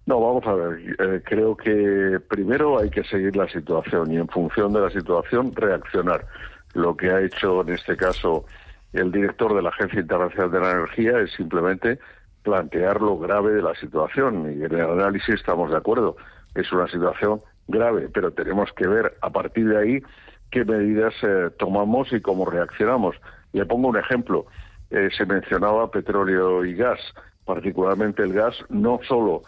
No, vamos a ver. Creo que primero hay que seguir la situación y en función de la situación reaccionar. Lo que ha hecho en este caso el director de la Agencia Internacional de la Energía es simplemente plantear lo grave de la situación y en el análisis estamos de acuerdo. Es una situación grave, pero tenemos que ver a partir de ahí qué medidas tomamos y cómo reaccionamos. Le pongo un ejemplo. Se mencionaba petróleo y gas, particularmente el gas, no solo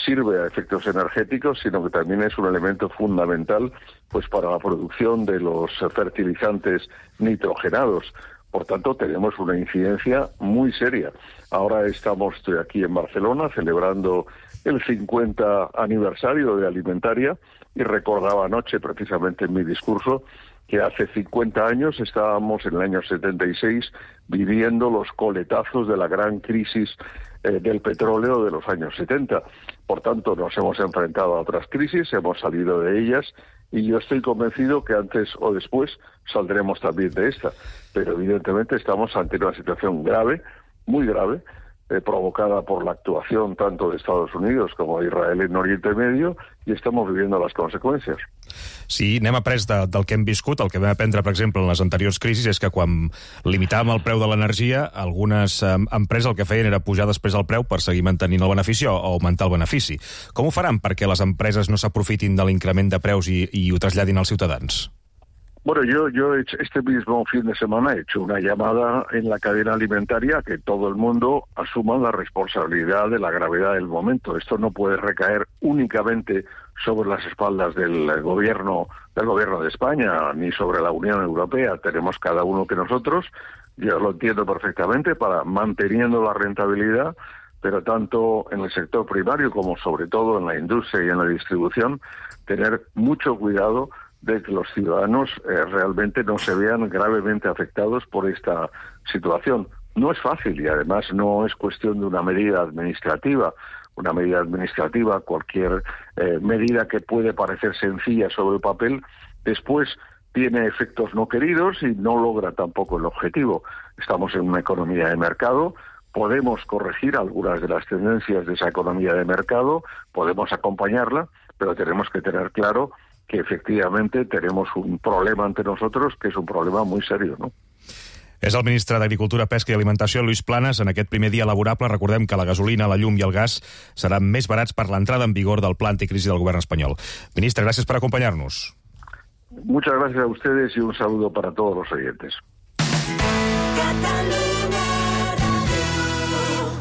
sirve a efectos energéticos, sino que también es un elemento fundamental pues para la producción de los fertilizantes nitrogenados. Por tanto, tenemos una incidencia muy seria. Ahora estoy aquí en Barcelona celebrando el 50 aniversario de Alimentaria y recordaba anoche, precisamente en mi discurso, que hace 50 años estábamos en el año 76 viviendo los coletazos de la gran crisis del petróleo de los años 70. Por tanto, nos hemos enfrentado a otras crisis, hemos salido de ellas y yo estoy convencido que antes o después saldremos también de esta. Pero evidentemente estamos ante una situación grave, muy grave, provocada por la actuación tanto de Estados Unidos como de Israel en Oriente Medio i estamos viviendo les conseqüències. Sí, n'hem après del que hem viscut. El que vam aprendre, per exemple, en les anteriors crisis és que quan limitàvem el preu de l'energia, algunes empreses el que feien era pujar després el preu per seguir mantenint el benefici o augmentar el benefici. Com ho faran perquè les empreses no s'aprofitin de l'increment de preus i ho traslladin als ciutadans? Bueno, yo este mismo fin de semana he hecho una llamada en la cadena alimentaria a que todo el mundo asuma la responsabilidad de la gravedad del momento. Esto no puede recaer únicamente sobre las espaldas del gobierno de España ni sobre la Unión Europea. Tenemos cada uno que nosotros, yo lo entiendo perfectamente, para manteniendo la rentabilidad, pero tanto en el sector primario como sobre todo en la industria y en la distribución, tener mucho cuidado de que los ciudadanos realmente no se vean gravemente afectados por esta situación. No es fácil y además no es cuestión de una medida administrativa. Una medida administrativa, cualquier medida que puede parecer sencilla sobre el papel, después tiene efectos no queridos y no logra tampoco el objetivo. Estamos en una economía de mercado, podemos corregir algunas de las tendencias de esa economía de mercado, podemos acompañarla, pero tenemos que tener claro que efectivamente tenemos un problema ante nosotros que es un problema muy serio, ¿no? És el ministre d'Agricultura, Pesca i Alimentació, Lluís Planas. En aquest primer dia laborable recordem que la gasolina, la llum i el gas seran més barats per l'entrada en vigor del pla anticrisi del govern espanyol. Ministre, gràcies per acompanyar-nos. Muchas gracias a ustedes y un saludo para todos los oyentes.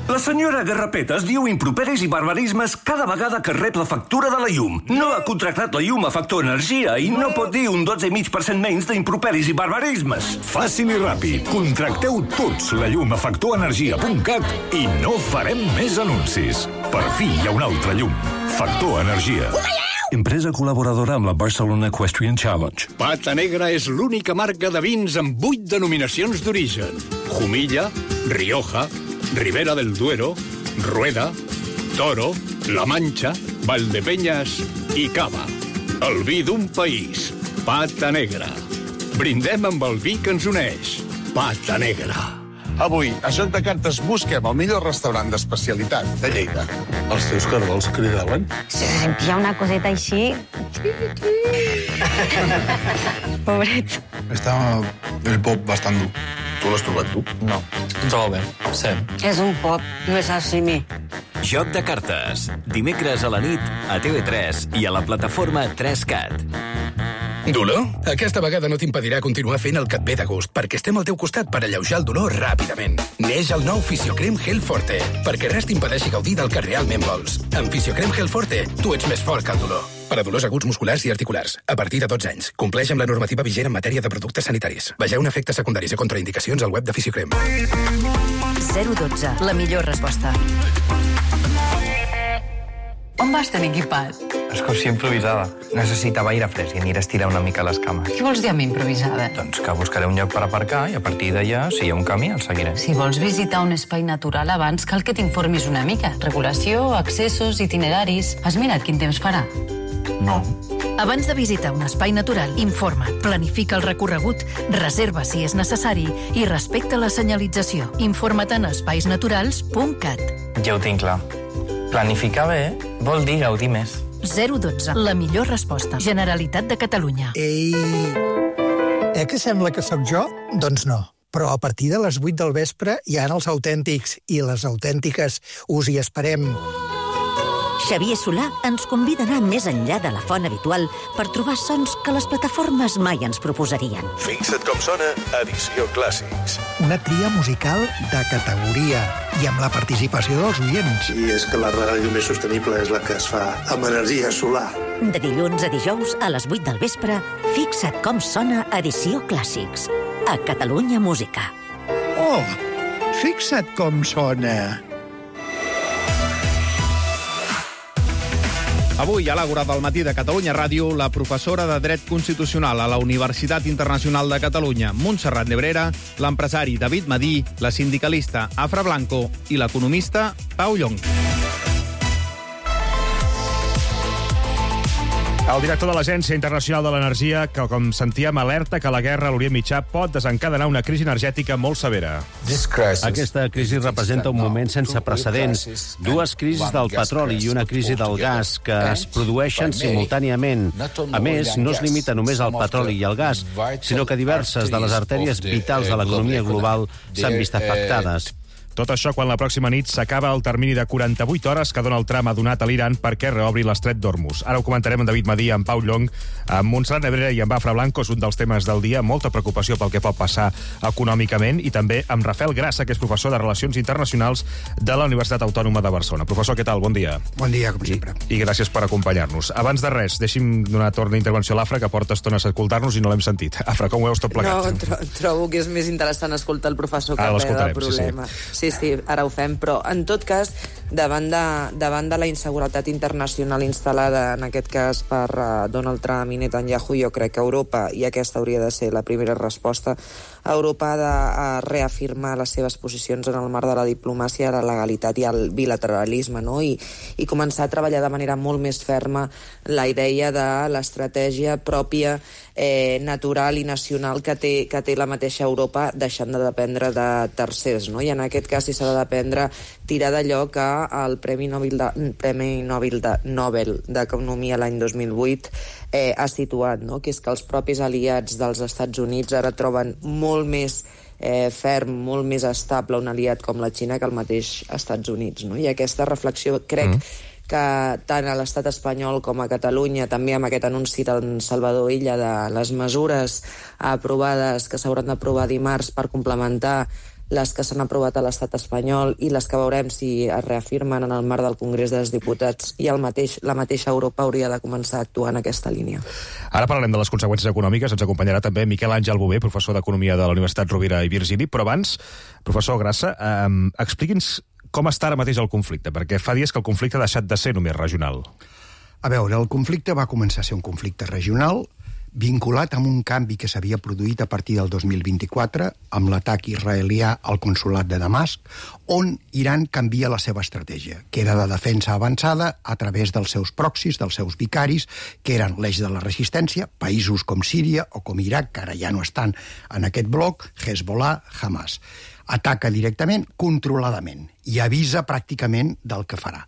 La senyora Garrapetes diu improperis i barbarismes cada vegada que rep la factura de la llum. No ha contractat la llum a Factor Energia i no pot dir un 12,5% menys d'improperis i barbarismes. Fàcil i ràpid. Contracteu tots la llum a factorenergia.cat i no farem més anuncis. Per fi hi ha una altra llum. Factor Energia. Empresa col·laboradora amb la Barcelona Equestrian Challenge. Pata Negra és l'única marca de vins amb 8 denominacions d'origen. Jumilla, Rioja, Ribera del Duero, Rueda, Toro, La Mancha, Valdepeñas i Cava. El vi d'un país. Pata Negra. Brindem amb el vi que ens uneix. Pata Negra. Avui, a Joc de Cartes, busquem el millor restaurant d'especialitat de Lleida. Els teus cargols cridaven? Se sentia una coseta així. Pobret. Està el pop bastant dur. Tu l'has trobat tu? No. Trobo bé, sí. És un pop, no és així. Joc de Cartes. Dimecres a la nit a TV3 i a la plataforma 3Cat. Dolor? Aquesta vegada no t'impedirà continuar fent el que et ve de gust, perquè estem al teu costat per alleujar el dolor ràpidament. Neix el nou Fisiocrem Gel Forte, perquè res t'impedeixi gaudir del que realment vols. Amb Fisiocrem Gel Forte, tu ets més fort que el dolor. Per a dolors aguts musculars i articulars, a partir de 12 anys. Compleix amb la normativa vigent en matèria de productes sanitaris. Vegeu efectes secundaris i contraindicacions al web de Fisiocrem. 012, la millor resposta. On vas tan equipat? Excursió improvisada. Necessitava aire fresc i aniré a estirar una mica les cames. Què vols dir amb improvisada? Doncs que buscaré un lloc per aparcar i a partir d'allà, si hi ha un camí, el seguiré. Si vols visitar un espai natural abans, cal que t'informis una mica. Regulació, accessos, itineraris... Has mirat quin temps farà? No. Abans de visitar un espai natural, informa't, planifica el recorregut, reserva si és necessari i respecta la senyalització. Informa't en espaisnaturals.cat. Ja ho tinc clar. Planificar bé vol dir gaudir més. 012, la millor resposta. Generalitat de Catalunya. Ei, que sembla que sóc jo? Doncs no. Però a partir de les 8 del vespre hi ha els autèntics i les autèntiques. Us hi esperem. Xavier Solà ens convida a anar més enllà de la font habitual per trobar sons que les plataformes mai ens proposarien. Fixa't com sona Edició Clàssics. Una tria musical de categoria i amb la participació dels oients. I és que la ràdio més sostenible és la que es fa amb energia solar. De dilluns a dijous a les 8 del vespre, fixa't com sona Edició Clàssics. A Catalunya Música. Oh, fixa't com sona. Avui, a l'Àgora del matí de Catalunya Ràdio, la professora de Dret Constitucional a la Universitat Internacional de Catalunya, Montserrat Nebrera, l'empresari David Madí, la sindicalista Afra Blanco i l'economista Pau Llong. El director de l'Agència Internacional de l'Energia, que, com sentíem, alerta que la guerra a l'Orient Mitjà pot desencadenar una crisi energètica molt severa. Aquesta crisi representa un moment sense precedents. Dues crisis del petroli i una crisi del gas que es produeixen simultàniament. A més, no es limita només al petroli i al gas, sinó que diverses de les artèries vitals de l'economia global s'han vist afectades. Tot això quan la pròxima nit s'acaba el termini de 48 hores que Donald Trump ha donat a l'Iran perquè reobri l'estret d'Hormuz. Ara ho comentarem amb David Madí, amb Pau Llong, amb Montserrat Nebrera i amb Afra Blanco. És un dels temes del dia, molta preocupació pel que pot passar econòmicament, i també amb Rafael Grassa, que és professor de Relacions Internacionals de la Universitat Autònoma de Barcelona. Professor, què tal? Bon dia. Bon dia, com sempre. I gràcies per acompanyar-nos. Abans de res, deixi'm donar torn d'intervenció a l'Afra, que porta estona a escoltar-nos i no l'hem sentit. Afra, com ho veus tot plegat? No, trobo que és més interessant escoltar el professor que el problema. Sí, ara ho fem. Però, en tot cas, davant de la inseguretat internacional instal·lada, en aquest cas, per Donald Trump i Netanyahu, jo crec que Europa, i aquesta hauria de ser la primera resposta, Europa ha de reafirmar les seves posicions en el marc de la diplomàcia, la legalitat i el bilateralisme, no? I començar a treballar de manera molt més ferma la idea de l'estratègia pròpia, natural i nacional que té la mateixa Europa, deixant de dependre de tercers, no? I en aquest cas, si s'ha de dependre, tirar d'allò que el Premi Nobel d'Economia l'any 2008 ha situat, no? Que és que els propis aliats dels Estats Units ara troben molt més ferm, molt més estable un aliat com la Xina que el mateix Estats Units, no? I aquesta reflexió crec que tant a l'estat espanyol com a Catalunya, també amb aquest anunci d'en Salvador Illa de les mesures aprovades que s'hauran d'aprovar dimarts per complementar les que s'han aprovat a l'estat espanyol i les que veurem si es reafirmen en el marc del Congrés dels Diputats, i la mateixa Europa hauria de començar a actuar en aquesta línia. Ara parlarem de les conseqüències econòmiques. Ens acompanyarà també Miquel Àngel Bové, professor d'Economia de la Universitat Rovira i Virgili. Però abans, professor Grassa, expliqui'ns com està ara mateix el conflicte, perquè fa dies que el conflicte ha deixat de ser només regional. A veure, el conflicte va començar a ser un conflicte regional, vinculat amb un canvi que s'havia produït a partir del 2024 amb l'atac israelià al consolat de Damasc, on Iran canvia la seva estratègia, que era de defensa avançada a través dels seus proxis, dels seus vicaris, que eren l'eix de la resistència, països com Síria o com Iraq, que ara ja no estan en aquest bloc, Hezbollah, Hamas. Ataca directament, controladament, i avisa pràcticament del que farà.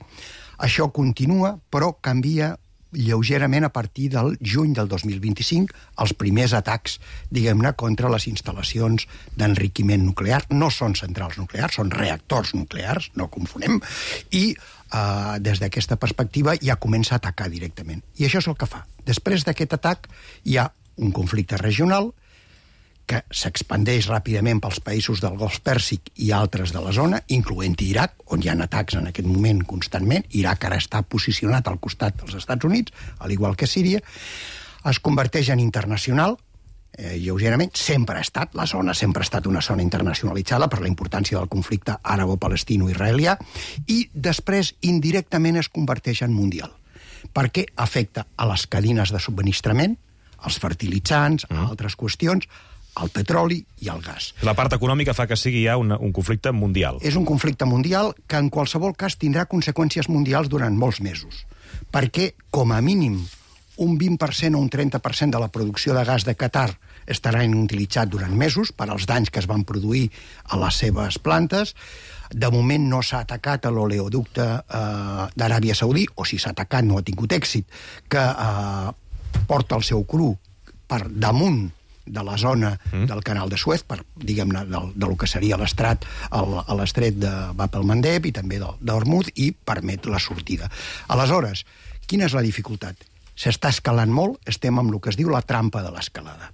Això continua, però canvia lleugerament a partir del juny del 2025, els primers atacs, diguem-ne, contra les instal·lacions d'enriquiment nuclear. No són centrals nuclears, són reactors nuclears, no confonem, i des d'aquesta perspectiva ja comença a atacar directament. I això és el que fa. Després d'aquest atac hi ha un conflicte regional que s'expandeix ràpidament pels països del Golf Pèrsic i altres de la zona, incloent Iraq, on hi ha atacs en aquest moment constantment. Iraq ara està posicionat al costat dels Estats Units, al igual que Síria. Es converteix en internacional, lleugerament. Sempre ha estat, la zona sempre ha estat una zona internacionalitzada per la importància del conflicte àrabo-palestino-israelià, i després indirectament es converteix en mundial, perquè afecta a les cadires de subministrament, als fertilitzants, a altres qüestions, al petroli i al gas. La part econòmica fa que sigui ja un conflicte mundial. És un conflicte mundial que en qualsevol cas tindrà conseqüències mundials durant molts mesos, perquè com a mínim un 20% o un 30% de la producció de gas de Qatar estaran utilitzats durant mesos per als danys que es van produir a les seves plantes. De moment no s'ha atacat a l'oleoducte d'Aràbia Saudí, o si s'ha atacat no ha tingut èxit, que porta el seu cru per damunt de la zona del canal de Suez, per, diguem-ne, del que seria l'estret de Bab el-Mandeb i també d'Hormuz, i permet la sortida. Aleshores, quina és la dificultat? S'està escalant molt, estem amb el que es diu la trampa de l'escalada,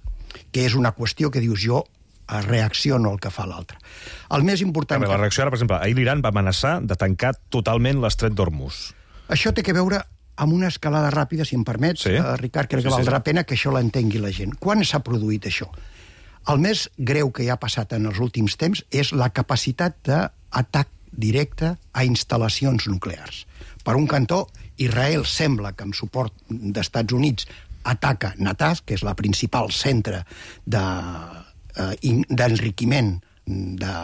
que és una qüestió que dius jo reacciono al que fa l'altre. El més important... La reacció ara, per exemple, ahir l'Iran va amenaçar de tancar totalment l'estret d'Hormuz. Això té que veure amb una escalada ràpida, si em permets, Ricard, crec que valdrà pena que això l'entengui la gent. Quan s'ha produït això? El més greu que hi ha passat en els últims temps és la capacitat d'atac directe a instal·lacions nuclears. Per un cantó, Israel sembla que amb suport d'Estats Units ataca Natanz, que és la principal centre d'enriquiment de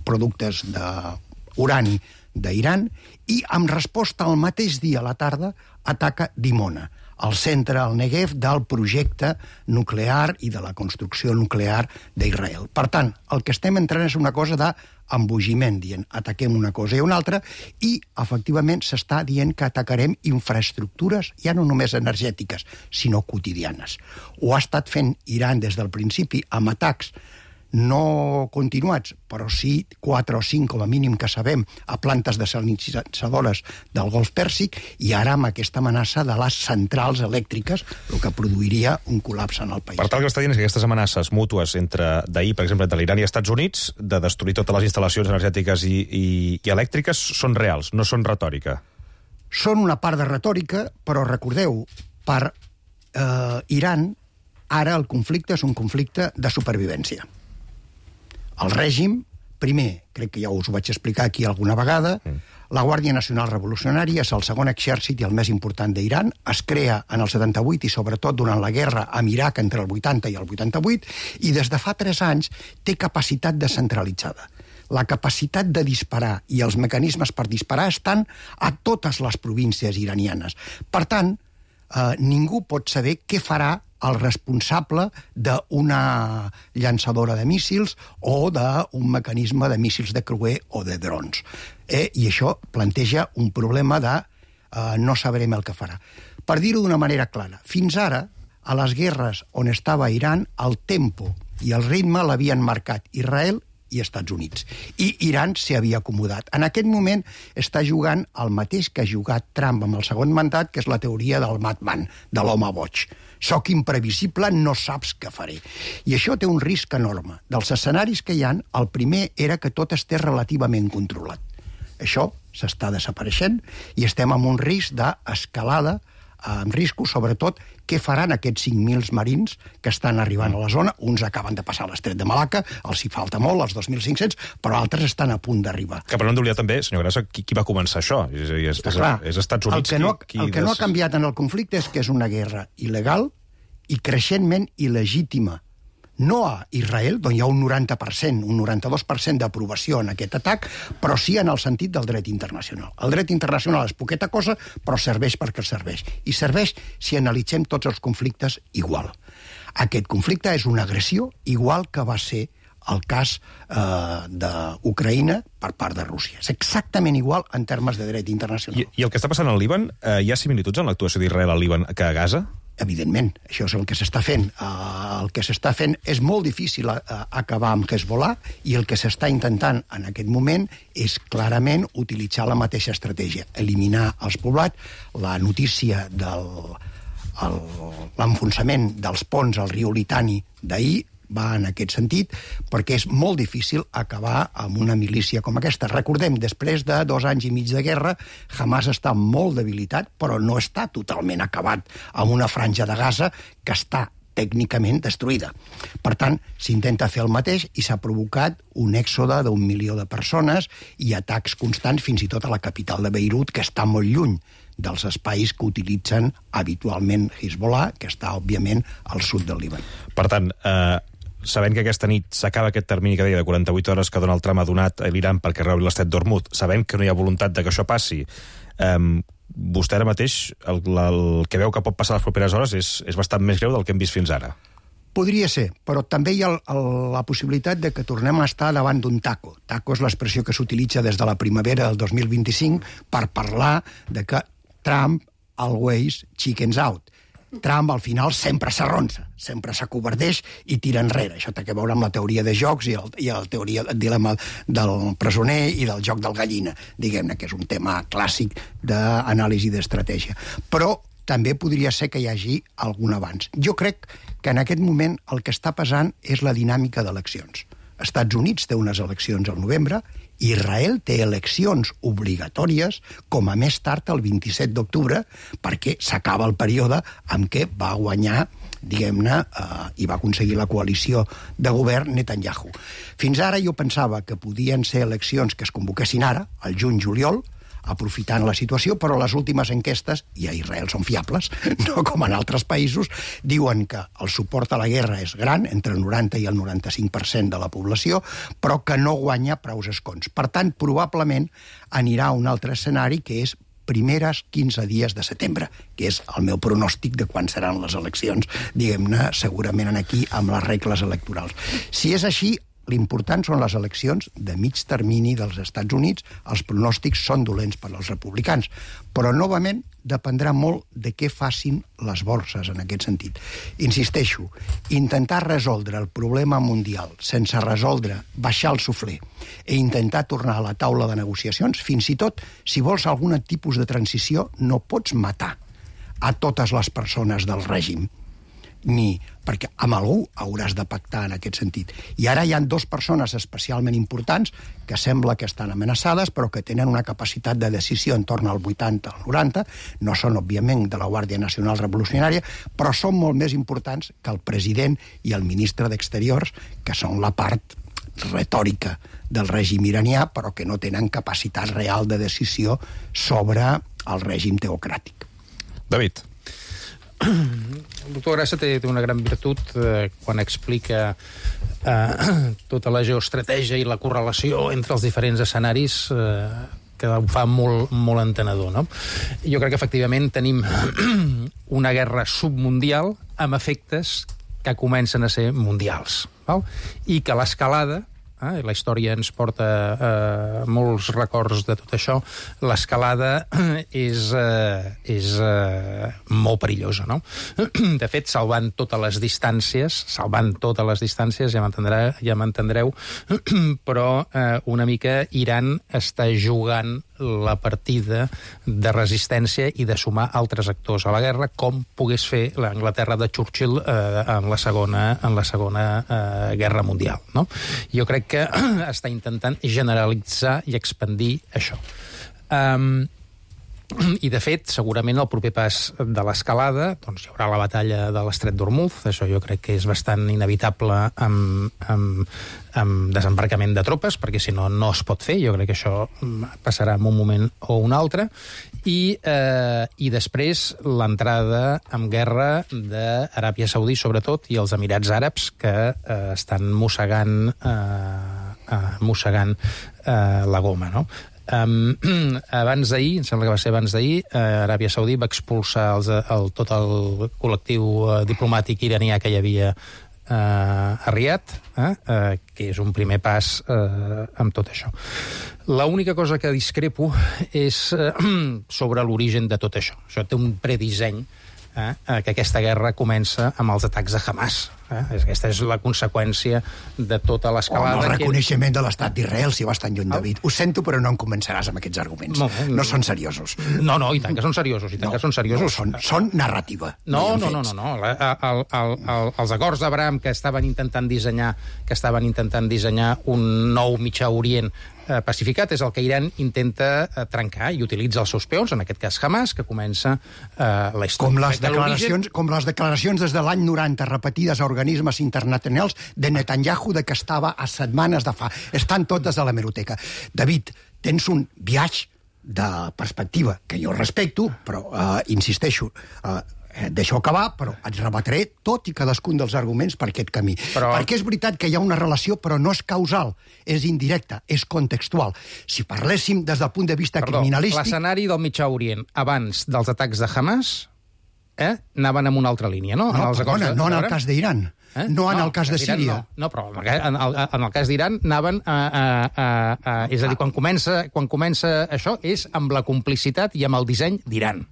productes d'urani d'Iran, i amb resposta al mateix dia a la tarda ataca Dimona, el centre al Negev del projecte nuclear i de la construcció nuclear d'Israel. Per tant, el que estem entrant és una cosa d'embogiment, dient ataquem una cosa i una altra, i efectivament s'està dient que atacarem infraestructures ja no només energètiques, sinó quotidianes. Ho ha estat fent Iran des del principi amb atacs no continuats, però sí 4 o 5 com a mínim que sabem a plantes desalinitzadores del Golf Pèrsic, i ara amb aquesta amenaça de les centrals elèctriques, el que produiria un col·lapse en el país. Per tant, el que està dient és que aquestes amenaces mútues d'ahir, per exemple, entre l'Iran i Estats Units, de destruir totes les instal·lacions energètiques i elèctriques, són reals, no són retòrica. Són una part de retòrica, però recordeu, per Iran, ara el conflicte és un conflicte de supervivència. El règim, primer, crec que ja us ho vaig explicar aquí alguna vegada, la Guàrdia Nacional Revolucionària és el segon exèrcit i el més important d'Iran, es crea en el 78 i sobretot durant la guerra amb Iraq entre el 80 i el 88, i des de fa 3 anys té capacitat descentralitzada. La capacitat de disparar i els mecanismes per disparar estan a totes les províncies iranianes. Per tant, ningú pot saber què farà el responsable d'una llançadora de míssils o d'un mecanisme de míssils de creuer o de drons. I això planteja un problema de no sabrem el que farà. Per dir-ho d'una manera clara, fins ara, a les guerres on estava Iran, el tempo i el ritme l'havien marcat Israel i Estats Units. I Iran s'hi havia acomodat. En aquest moment està jugant el mateix que ha jugat Trump amb el segon mandat, que és la teoria del madman, de l'home boig. Soc imprevisible, no saps què faré. I això té un risc enorme. Dels escenaris que hi ha, el primer era que tot estés relativament controlat. Això s'està desapareixent i estem amb un risc d'escalada, amb riscos, sobretot, què faran aquests 5.000 marins que estan arribant a la zona. Uns acaben de passar l'estret de Malacca, els hi falta molt, els 2.500, però altres estan a punt d'arribar. Que per no oblidar també, senyor Grassa, qui va començar això? És Estats Units. El que no ha canviat en el conflicte és que és una guerra il·legal i creixentment il·legítima. No a Israel, on hi ha un 90%, un 92% d'aprovació en aquest atac, però sí en el sentit del dret internacional. El dret internacional és poqueta cosa, però serveix perquè serveix. I serveix si analitzem tots els conflictes igual. Aquest conflicte és una agressió igual que va ser el cas d'Ucraïna per part de Rússia. És exactament igual en termes de dret internacional. I el que està passant al Líban, hi ha similituds en l'actuació d'Israel al Líban que a Gaza? Evidentment, això és el que s'està fent. El que s'està fent és molt difícil acabar amb Hezbollah, i el que s'està intentant en aquest moment és clarament utilitzar la mateixa estratègia, eliminar els poblats. La notícia de l'enfonsament dels ponts al riu Litani d'ahir va en aquest sentit, perquè és molt difícil acabar amb una milícia com aquesta. Recordem, després de 2 anys i mig de guerra, Hamas està molt debilitat, però no està totalment acabat amb una franja de Gaza que està tècnicament destruïda. Per tant, s'intenta fer el mateix i s'ha provocat un èxode d'1 milió de persones i atacs constants fins i tot a la capital de Beirut, que està molt lluny dels espais que utilitzen habitualment Hezbollah, que està, òbviament, al sud del Líban. Per tant, sabent que aquesta nit s'acaba aquest termini que deia de 48 hores que Donald Trump ha donat a l'Iran perquè reobri l'estret d'Hormuz, sabent que no hi ha voluntat de que això passi, vostè ara mateix el que veu que pot passar les properes hores és bastant més greu del que hem vist fins ara. Podria ser, però també hi ha la possibilitat de que tornem a estar davant d'un taco. Taco és l'expressió que s'utilitza des de la primavera del 2025 per parlar de que Trump always chickens out. Trump al final sempre s'arronsa, sempre s'acovardeix i tira enrere. Això té a veure amb la teoria de jocs i el dilema del presoner i del joc del gallina, diguem-ne, que és un tema clàssic d'anàlisi d'estratègia. Però també podria ser que hi hagi algun avanç. Jo crec que en aquest moment el que està passant és la dinàmica d'eleccions. Estats Units té unes eleccions al novembre, Israel té eleccions obligatòries com a més tard el 27 d'octubre perquè s'acaba el període en què va guanyar, diguem-ne, i va aconseguir la coalició de govern Netanyahu. Fins ara jo pensava que podien ser eleccions que es convoquessin ara, al juny-juliol, aprofitant la situació, però les últimes enquestes, i a Israel són fiables, no com en altres països, diuen que el suport a la guerra és gran, entre el 90 i el 95% de la població, però que no guanya prous escons. Per tant, probablement anirà a un altre escenari que és primeres 15 dies de setembre, que és el meu pronòstic de quan seran les eleccions, diguem-ne, segurament aquí amb les regles electorals. Si és així, l'important són les eleccions de mig termini dels Estats Units. Els pronòstics són dolents per als republicans, però novament dependrà molt de què facin les borses en aquest sentit. Insisteixo, intentar resoldre el problema mundial sense resoldre, baixar el suflé i intentar tornar a la taula de negociacions, fins i tot si vols algun tipus de transició, no pots matar a totes les persones del règim, perquè amb algú hauràs de pactar en aquest sentit. I ara hi ha dues persones especialment importants que sembla que estan amenaçades, però que tenen una capacitat de decisió en torn al 80 al 90, no són, òbviament, de la Guàrdia Nacional Revolucionària, però són molt més importants que el president i el ministre d'Exteriors, que són la part retòrica del règim iranià, però que no tenen capacitat real de decisió sobre el règim teocràtic. David. El doctor Grassa té una gran virtut quan explica tota la geoestratègia i la correlació entre els diferents escenaris, que ho fa molt entenedor, no? Jo crec que efectivament tenim una guerra submundial amb efectes que comencen a ser mundials, val? I que l'escalada, la història ens porta molts records de tot això, l'escalada és molt perillosa, no? De fet, salvant totes les distàncies, ja m'entendreu, però una mica Iran està jugant la partida de resistència i de sumar altres actors a la guerra, com pogués fer l'Anglaterra de Churchill en la segona guerra mundial, no? Jo crec que està intentant generalitzar i expandir això. I, de fet, segurament el proper pas de l'escalada, doncs hi haurà la batalla de l'Estret d'Ormuz, això jo crec que és bastant inevitable amb desembarcament de tropes, perquè si no, no es pot fer. Jo crec que això passarà en un moment o un altre. I després l'entrada en guerra d'Aràbia Saudí, sobretot, i els Emirats Àrabs, que estan mossegant la goma, no? Abans d'ahir, em sembla que va ser abans d'ahir, Aràbia Saudí va expulsar tot el col·lectiu diplomàtic iranià que hi havia a Riad, que és un primer pas amb tot això. L'única cosa que discrepo és sobre l'origen de tot això. Això té un predisseny, que aquesta guerra comença amb els atacs de Hamas. Aquesta és la conseqüència de tota l'escalada. El reconeixement de l'estat d'Israel, si vas tan lluny, David. Ho sento, però no em començaràs amb aquests arguments. No són seriosos. No, i tant que són seriosos, Són narrativa. No. Els acords d'Abraham que estaven intentant dissenyar un nou Mitjà Orient pacificat és el que Iran intenta trencar i utilitza els seus peons, en aquest cas Hamas, que comença la història. Com les declaracions des de l'any 90 repetides a organismes internacionals de Netanyahu, de que estava a setmanes de fa. Estan totes a l'hemeroteca. David, tens un viatge de perspectiva que jo respecto, però insisteixo, deixo acabar, però et rebatré tot i cadascun dels arguments per aquest camí. Perquè és veritat que hi ha una relació, però no és causal, és indirecta, és contextual. Si parléssim des del punt de vista criminalístic... L'escenari del Mitjà Orient abans dels atacs de Hamas anaven en una altra línia, no? No, perdona, no en el cas d'Iran. No en el cas de Síria. No, però en el cas d'Iran anaven és a dir, quan comença això és amb la complicitat i amb el disseny d'Iran,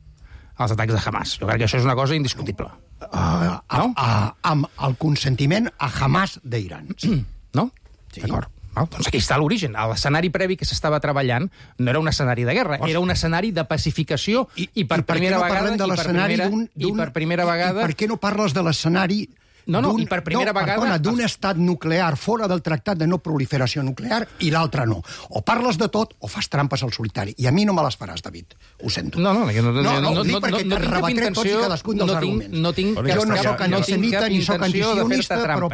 els atacs de Hamas. Jo crec que això és una cosa indiscutible. Amb el consentiment a Hamas d'Iran. No? D'acord. Doncs aquí està l'origen. L'escenari previ que s'estava treballant no era un escenari de guerra, era un escenari de pacificació i per primera vegada... I per què no parles de l'escenari... i per primera vegada... Perdona, d'un estat nuclear fora del tractat de no proliferació nuclear i l'altre no. O parles de tot o fas trampes al solitari. I a mi no me les faràs, David. Ho sento. No, dic perquè te rebatré tots i cadascun dels arguments. Jo no soc antisemita ni soc antisionista, però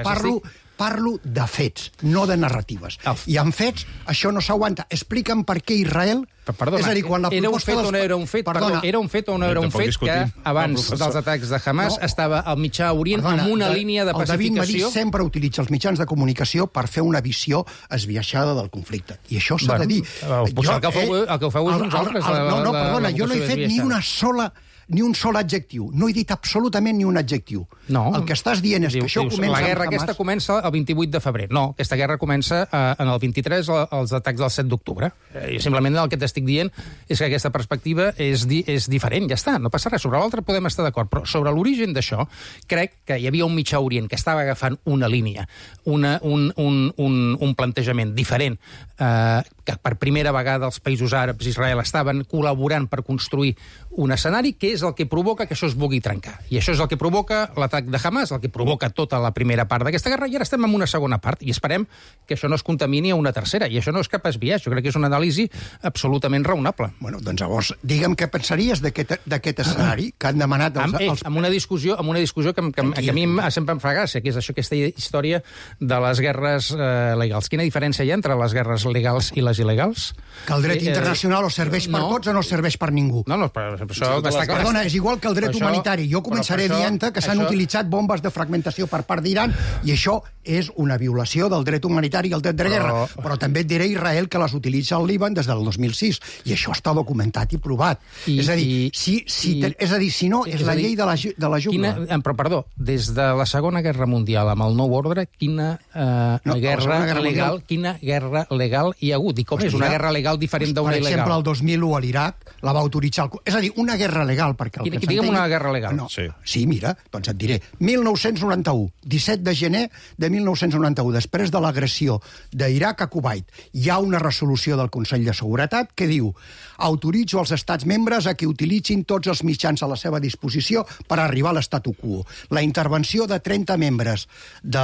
parlo de fets, no de narratives. I en fets, això no s'aguanta. Explica'm per què Israel... Perdona, era un fet o no era un fet? Era un fet o no era un fet que abans dels atacs de Hamas estava al Mitjà Orient amb una línia de pacificació... El David Madí sempre utilitza els mitjans de comunicació per fer una visió esbiaixada del conflicte. I això s'ha de dir. El que ho feu és uns altres. No, perdona, jo no he fet ni un sol adjectiu. No he dit absolutament ni un adjectiu. No. El que estàs dient és que això comença... La guerra aquesta comença el 28 de febrer. No, aquesta guerra comença en el 23, els atacs del 7 d'octubre. Simplement el que t'estic dient és que aquesta perspectiva és diferent, ja està, no passa res. Sobre l'altre podem estar d'acord, però sobre l'origen d'això crec que hi havia un Mitjà Orient que estava agafant una línia, un plantejament diferent, que per primera vegada els països àrabs i Israel estaven col·laborant per construir un escenari que és el que provoca que això es vulgui trencar. I això és el que provoca l'atac de Hamas, el que provoca tota la primera part d'aquesta guerra, i ara estem en una segona part, i esperem que això no es contamini a una tercera, i això no és cap esbiaix, jo crec que és una anàlisi absolutament raonable. Bueno, doncs llavors, digue'm què pensaries d'aquest escenari que han demanat els... Amb una discussió que a mi sempre em fa gràcia, que és això, aquesta història de les guerres legals. Quina diferència hi ha entre les guerres legals i les il·legals? Que el dret internacional o serveix per tots o no serveix per ningú. No, però això està clar. Perdona, és igual que el dret humanitari. Jo començaré dient-te que s'han utilitzat bombes de fragmentació per part d'Iran i això és una violació del dret humanitari i el dret de guerra. Però també et diré Israel que les utilitza al Líban des del 2006 i això està documentat i provat. És a dir, si no, és la llei de la jungla. Però, perdó, des de la Segona Guerra Mundial amb el Nou Ordre, quina guerra legal hi ha hagut? I com és una guerra legal diferent d'una il·legal? Per exemple, el 2001 a l'Iraq la va autoritzar... És a dir, una guerra legal, perquè... Digue'm una guerra legal. Sí, mira, doncs et diré. 1991, 17 de gener de 1991, després de l'agressió d'Iraq a Kuwait, hi ha una resolució del Consell de Seguretat que diu: autoritzo els estats membres a que utilitzin tots els mitjans a la seva disposició per arribar a l'estatu quo. La intervenció de 30 membres de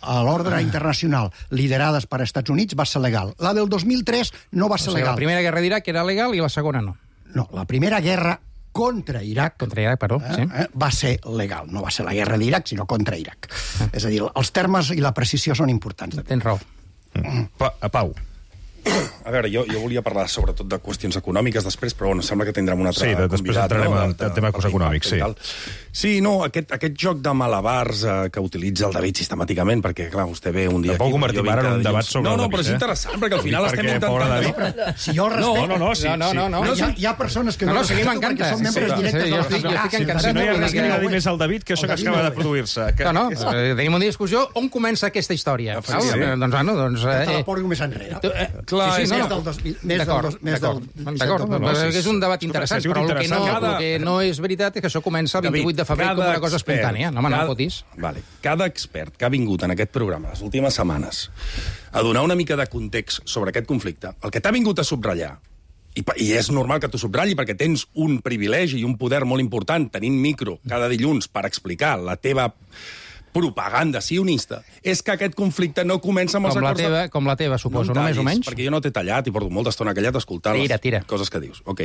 l'ordre internacional liderades per Estats Units va ser legal. La del 2003 no va ser legal. La primera guerra d'Iraq era legal i la segona no. No, la primera guerra contra Iraq va ser legal. No va ser la guerra d'Iraq, sinó contra Iraq. És a dir, els termes i la precisió són importants. Tens raó. Pau. A veure, jo volia parlar sobretot de qüestions econòmiques després, però bueno, sembla que tindrem un altre convidat. Sí, després entrarem en el tema econòmics, sí. Sí, no, aquest joc de malabars que utilitza el David sistemàticament, perquè, clar, vostè ve un dia... Tampoc convertim ara en un debat sobre el David. No, però és interessant, perquè al final estem intentant... Si jo el respecte... No. Hi ha persones que no respeto perquè són membres directes de la... Si no hi ha res que agradi més al David que això que acaba de produir-se. No, tenim una discussió on comença aquesta història. Doncs... Te la porto més enrere. Clar, d'acord, és un debat interessant, però el que no és veritat és que això comença el 28 de febrer com una cosa espontània. No fotis. Cada expert que ha vingut en aquest programa les últimes setmanes a donar una mica de context sobre aquest conflicte, el que t'ha vingut a subratllar, i és normal que t'ho subratlli perquè tens un privilegi i un poder molt important tenint micro cada dilluns per explicar la teva propaganda sionista, és que aquest conflicte no comença amb els acords... Com la teva, suposo, no més o menys? Perquè jo no t'he tallat i porto molta estona callat escoltant les coses que dius. Ok.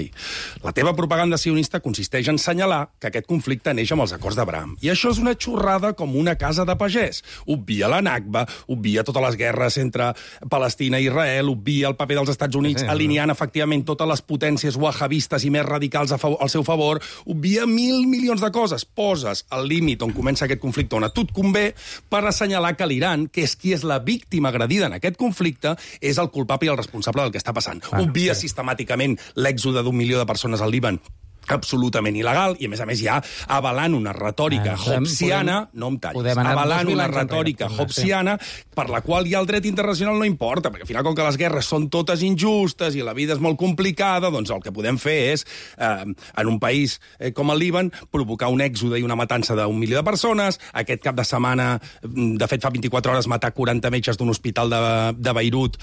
La teva propaganda sionista consisteix en assenyalar que aquest conflicte neix amb els acords d'Abraham. I això és una xorrada com una casa de pagès. Obvia la Nakba, obvia totes les guerres entre Palestina i Israel, obvia el paper dels Estats Units alineant efectivament totes les potències wahabistes i més radicals al seu favor, obvia 1.000 milions de coses. Poses el límit on comença aquest conflicte, on a tu et convé, per assenyalar que l'Iran, que és qui és la víctima agredida en aquest conflicte, és el culpable i el responsable del que està passant. Obvia sistemàticament l'èxode d'1 milió de persones al Líban absolutament il·legal, i a més ja avalant una retòrica hobbesiana, no em tallis, avalant una retòrica hobbesiana per la qual ja el dret internacional no importa, perquè al final, com que les guerres són totes injustes i la vida és molt complicada, doncs el que podem fer és, en un país com el Líban, provocar un èxode i una matança d'1 milió de persones. Aquest cap de setmana, de fet fa 24 hores, matar 40 metges d'un hospital de Beirut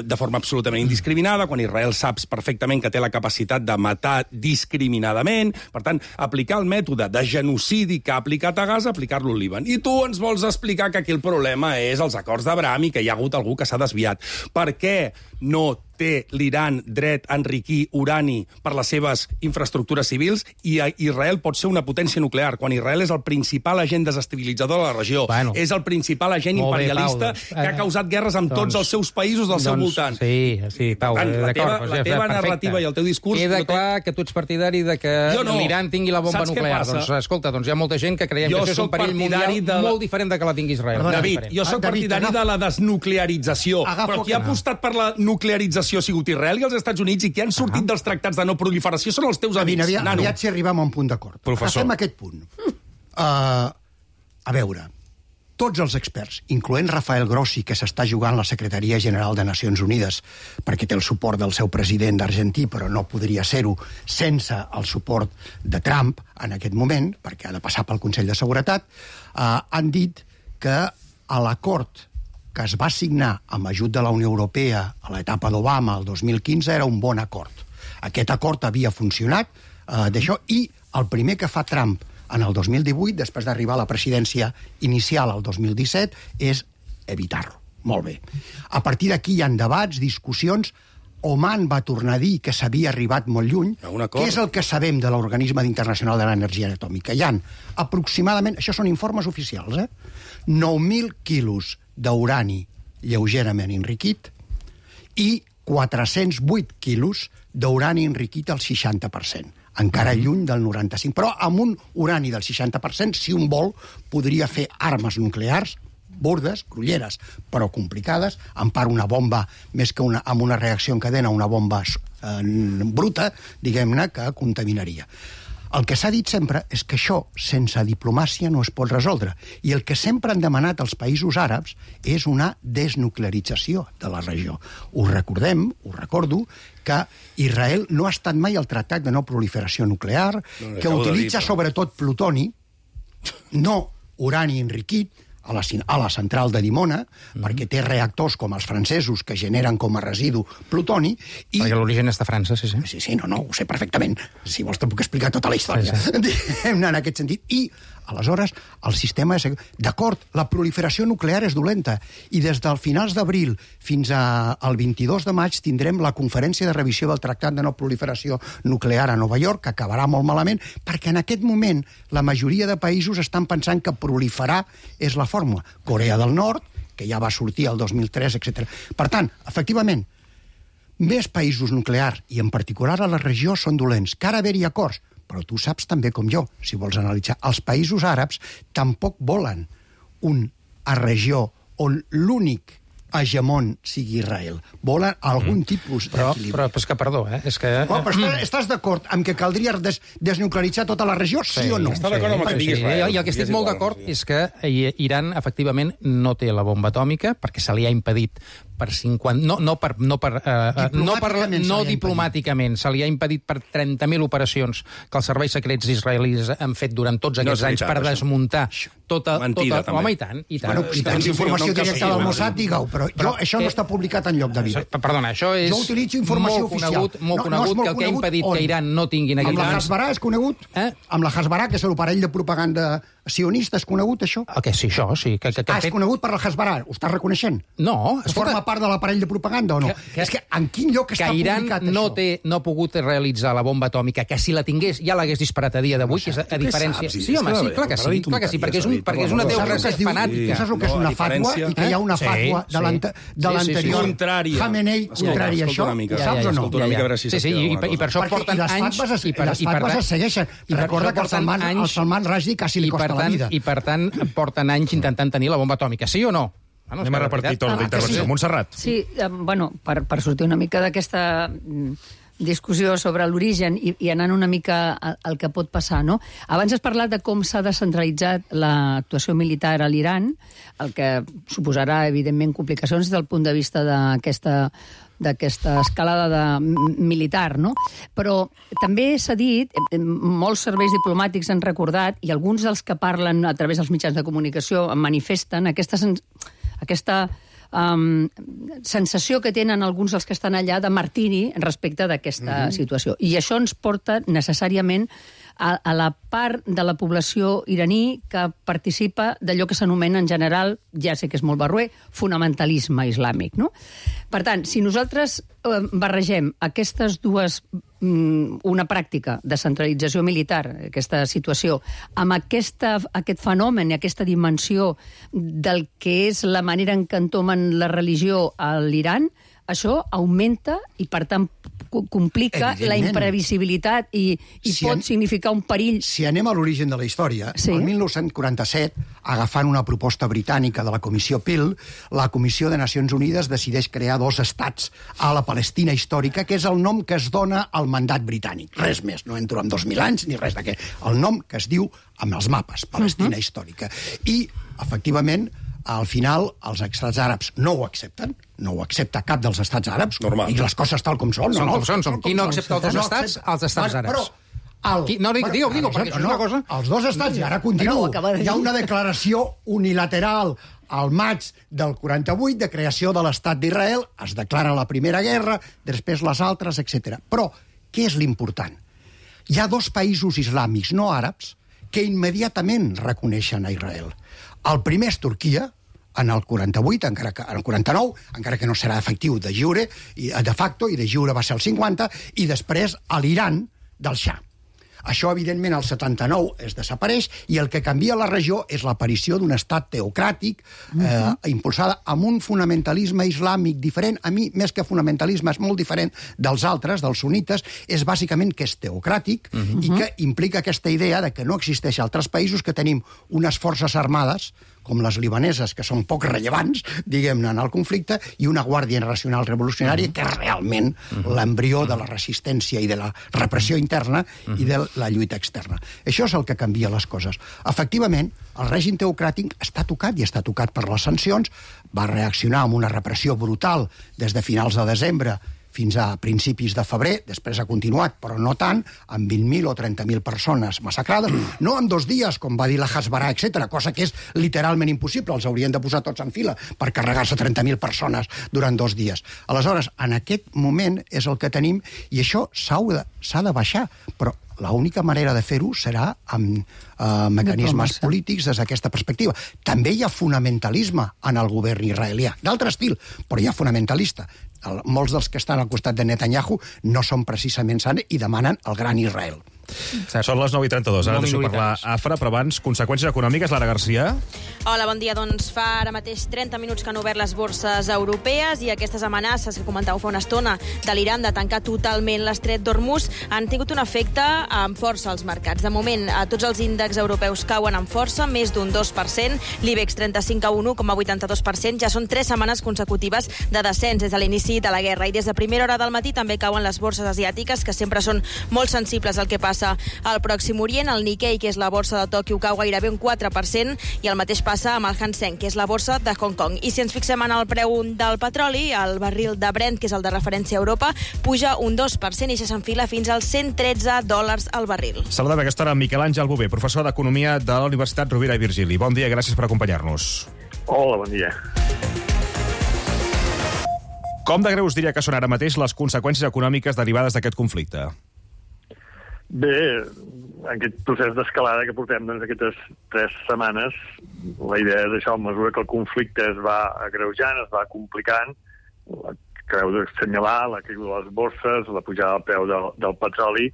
de forma absolutament indiscriminada, quan Israel saps perfectament que té la capacitat de matar discriminadament. Per tant, aplicar el mètode de genocidi que ha aplicat a Gaza, aplicar-lo al Líban. I tu ens vols explicar que aquí el problema és els acords d'Abraham i que hi ha hagut algú que s'ha desviat. Per què no té l'Iran dret a enriquir urani per les seves infraestructures civils i Israel pot ser una potència nuclear, quan Israel és el principal agent desestabilitzador de la regió, és el principal agent imperialista que ha causat guerres amb tots els seus països del seu voltant. Sí, Pau, d'acord. La teva narrativa i el teu discurs... Queda clar que tu ets partidari de que l'Iran tingui la bomba nuclear. Doncs escolta, hi ha molta gent que creiem que això és un perill mundial molt diferent de que la tingui Israel. David, jo soc partidari de la desnuclearització, però qui ha apostat per la nuclearització ha sigut Israel i els Estats Units, i qui han sortit dels tractats de no proliferació són els teus amics. Aviat si arribem a un punt d'acord. Passem a aquest punt. A veure, tots els experts, incloent Rafael Grossi, que s'està jugant la Secretaria General de Nacions Unides perquè té el suport del seu president d'Argentí, però no podria ser-ho sense el suport de Trump en aquest moment, perquè ha de passar pel Consell de Seguretat, han dit que a l'acord que es va signar amb ajut de la Unió Europea a l'etapa d'Obama el 2015 era un bon acord. Aquest acord havia funcionat d'això, i el primer que fa Trump en el 2018, després d'arribar a la presidència inicial al 2017, és evitar-lo. Molt bé. A partir d'aquí hi ha debats, discussions. Oman va tornar a dir que s'havia arribat molt lluny. Què és el que sabem de l'Organisme Internacional de l'Energia Atòmica? Hi ha aproximadament, això són informes oficials, 9.000 quilos d'urani lleugerament enriquit i 408 quilos d'urani enriquit al 60%. Encara lluny del 95%. Però amb un urani del 60%, si un vol, podria fer armes nuclears bordes, grolleres, però complicades, en part una bomba, més que amb una reacció en cadena, una bomba bruta, diguem-ne, que contaminaria. El que s'ha dit sempre és que això, sense diplomàcia, no es pot resoldre. I el que sempre han demanat els països àrabs és una desnuclearització de la regió. Us recordo, que Israel no ha estat mai al Tractat de No Proliferació Nuclear, que utilitza sobretot plutoni, no urani enriquit, a la central de Dimona, perquè té reactors com els francesos que generen com a residu plutoni. Perquè l'origen és de França, sí. Sí, no, ho sé perfectament. Si vols te puc explicar tota la història. En aquest sentit. I, aleshores, el sistema és... D'acord, la proliferació nuclear és dolenta, i des del finals d'abril fins al 22 de maig tindrem la conferència de revisió del Tractat de No Proliferació Nuclear a Nova York, que acabarà molt malament, perquè en aquest moment la majoria de països estan pensant que proliferar és la fórmula. Corea del Nord, que ja va sortir el 2003, etc. Per tant, efectivament, més països nuclears, i en particular a la regió, són dolents. Que ara haver-hi acords, però tu saps també com jo, si vols analitzar, els països àrabs tampoc volen una regió on l'únic hegemon sigui Israel. Volen algun tipus d'equilibri. Però és que, perdó, és que... Però estàs d'acord amb que caldria desnuclearitzar tota la regió, sí o no? Està d'acord amb el que digui Israel. I el que estic molt d'acord és que Iran, efectivament, no té la bomba atòmica, perquè se li ha impedit per 50... No diplomàticament. Se li ha impedit per 30.000 operacions que els serveis secrets israelis han fet durant tots aquests anys per desmuntar tota... Mentida, també. Home, i tant. Bueno, si tens informació directa del Mossad, digue-ho, però això no està publicat enlloc, David. Perdona, això és jo utilitzo informació oficial. Molt conegut, que el que ha impedit que Iran no tinguin aquells... Amb la Hasbarà és conegut? Amb la Hasbarà, que és l'aparell de propaganda sionista, és conegut, això? Sí, això, sí. És conegut per la Hasbarà, ho estàs reconeixent? No. Forma part de l'aparell de propaganda o no? És que en quin lloc està publicat això? Que Iran no ha pogut realitzar la bomba atòmica, que si la tingués ja l'hagués disparat a dia d'avui, que és a diferència... Sí, home, sí, clar que sí, perquè és una teoria fanàtica. Saps el que és una fatwa? I que hi ha una fatwa de l'anterior Khamenei contrària a això? Saps o no? Sí, i per això porten anys... Les fatwas es segueixen. I recorda que al Salman Rushdie quasi li costa la vida. I per tant porten anys intentant tenir la bomba atòmica, sí o no? Anem a repartir torn d'intervenció. Montserrat. Sí, bueno, per sortir una mica d'aquesta discussió sobre l'origen i anant una mica al que pot passar, no? Abans has parlat de com s'ha descentralitzat l'actuació militar a l'Iran, el que suposarà, evidentment, complicacions des del punt de vista d'aquesta escalada militar, no? Però també s'ha dit, molts serveis diplomàtics han recordat, i alguns dels que parlen a través dels mitjans de comunicació manifesten aquesta sensació que tenen alguns dels que estan allà de martiri respecte d'aquesta situació. I això ens porta necessàriament a la part de la població iraní que participa d'allò que s'anomena en general, ja sé que és molt barroer, fonamentalisme islàmic, no? Per tant, si nosaltres barregem aquestes dues, una pràctica de centralització militar, aquesta situació, amb aquest fenomen i aquesta dimensió del que és la manera en què entomen la religió a l'Iran, això augmenta i, per tant, complica la imprevisibilitat i pot significar un perill. Si anem a l'origen de la història, el 1947, agafant una proposta britànica de la Comissió Peel, la Comissió de Nacions Unides decideix crear 2 estats a la Palestina històrica, que és el nom que es dona al mandat britànic. Res més, no entro en 2.000 anys ni res d'aquest. El nom que es diu amb els mapes, Palestina històrica. I, efectivament, al final, els estats àrabs no ho accepten, no ho accepta cap dels estats àrabs, normal. I les coses tal com són. Són com són. Qui no accepta els 2 estats? Els estats àrabs. Digue, perquè això és una cosa... Els 2 estats, i ara continuo, hi ha una declaració unilateral al maig del 48 de creació de l'estat d'Israel, es declara la Primera Guerra, després les altres, etc. Però, què és l'important? Hi ha 2 països islàmics no àrabs que immediatament reconeixen a Israel. El primer és Turquia, en el 48, en el 49, encara que no serà efectiu de jure, de facto, i de jure va ser el 50, i després a l'Iran del Shah. Això, evidentment, el 79 es desapareix i el que canvia la regió és l'aparició d'un estat teocràtic impulsada amb un fonamentalisme islàmic diferent. A mi, més que fonamentalisme, és molt diferent dels altres, dels sunnites, és bàsicament que és teocràtic i que implica aquesta idea de que no existeix altres països, que tenim unes forces armades com les libaneses, que són poc rellevants, diguem-ne, en el conflicte, i una Guàrdia Nacional Revolucionària, que és realment l'embrió de la resistència i de la repressió interna i de la lluita externa. Això és el que canvia les coses. Efectivament, el règim teocràtic està tocat, i està tocat per les sancions, va reaccionar amb una repressió brutal des de finals de desembre fins a principis de febrer, després ha continuat, però no tant, amb 20.000 o 30.000 persones massacrades, no en 2 dies, com va dir la Hasbara, etc., cosa que és literalment impossible, els haurien de posar tots en fila per carregar-se 30.000 persones durant 2 dies. Aleshores, en aquest moment és el que tenim, i això s'ha de baixar, però l'única manera de fer-ho serà amb mecanismes polítics des d'aquesta perspectiva. També hi ha fonamentalisme en el govern israelià, d'altre estil, però hi ha fonamentalista. Molts dels que estan al costat de Netanyahu no són precisament sants i demanen el gran Israel. Són les 9:32. Ara deixo parlar Afra, però abans, conseqüències econòmiques, Lara Garcia. Hola, bon dia. Doncs fa ara mateix 30 minuts que han obert les borses europees i aquestes amenaces que comentàveu fa una estona de l'Iran de tancar totalment l'estret d'Hormuz han tingut un efecte amb força als mercats. De moment, tots els índexs europeus cauen amb força, més d'un 2%, l'IBEX 35 a 1,82%, ja són 3 setmanes consecutives de descens des de l'inici de la guerra. I des de primera hora del matí també cauen les borses asiàtiques, que sempre són molt sensibles al que passa al Pròxim Orient. El Nikkei, que és la borsa de Tòquio, cau gairebé un 4%, i el mateix passa amb el Hang Seng, que és la borsa de Hong Kong. I si ens fixem en el preu del petroli, el barril de Brent, que és el de referència a Europa, puja un 2% i s'enfila fins als $113 al barril. Saludem a aquesta hora Miquel Àngel Bové, professor d'Economia de la Universitat Rovira i Virgili. Bon dia, gràcies per acompanyar-nos. Hola, bon dia. Com de greus diria que són ara mateix les conseqüències econòmiques derivades d'aquest conflicte? Bé, en aquest procés d'escalada que portem aquestes 3 setmanes, la idea és això, a mesura que el conflicte es va agreujant, es va complicant, acabeu d'assenyalar la caiguda de les borses, la pujada del preu del petroli,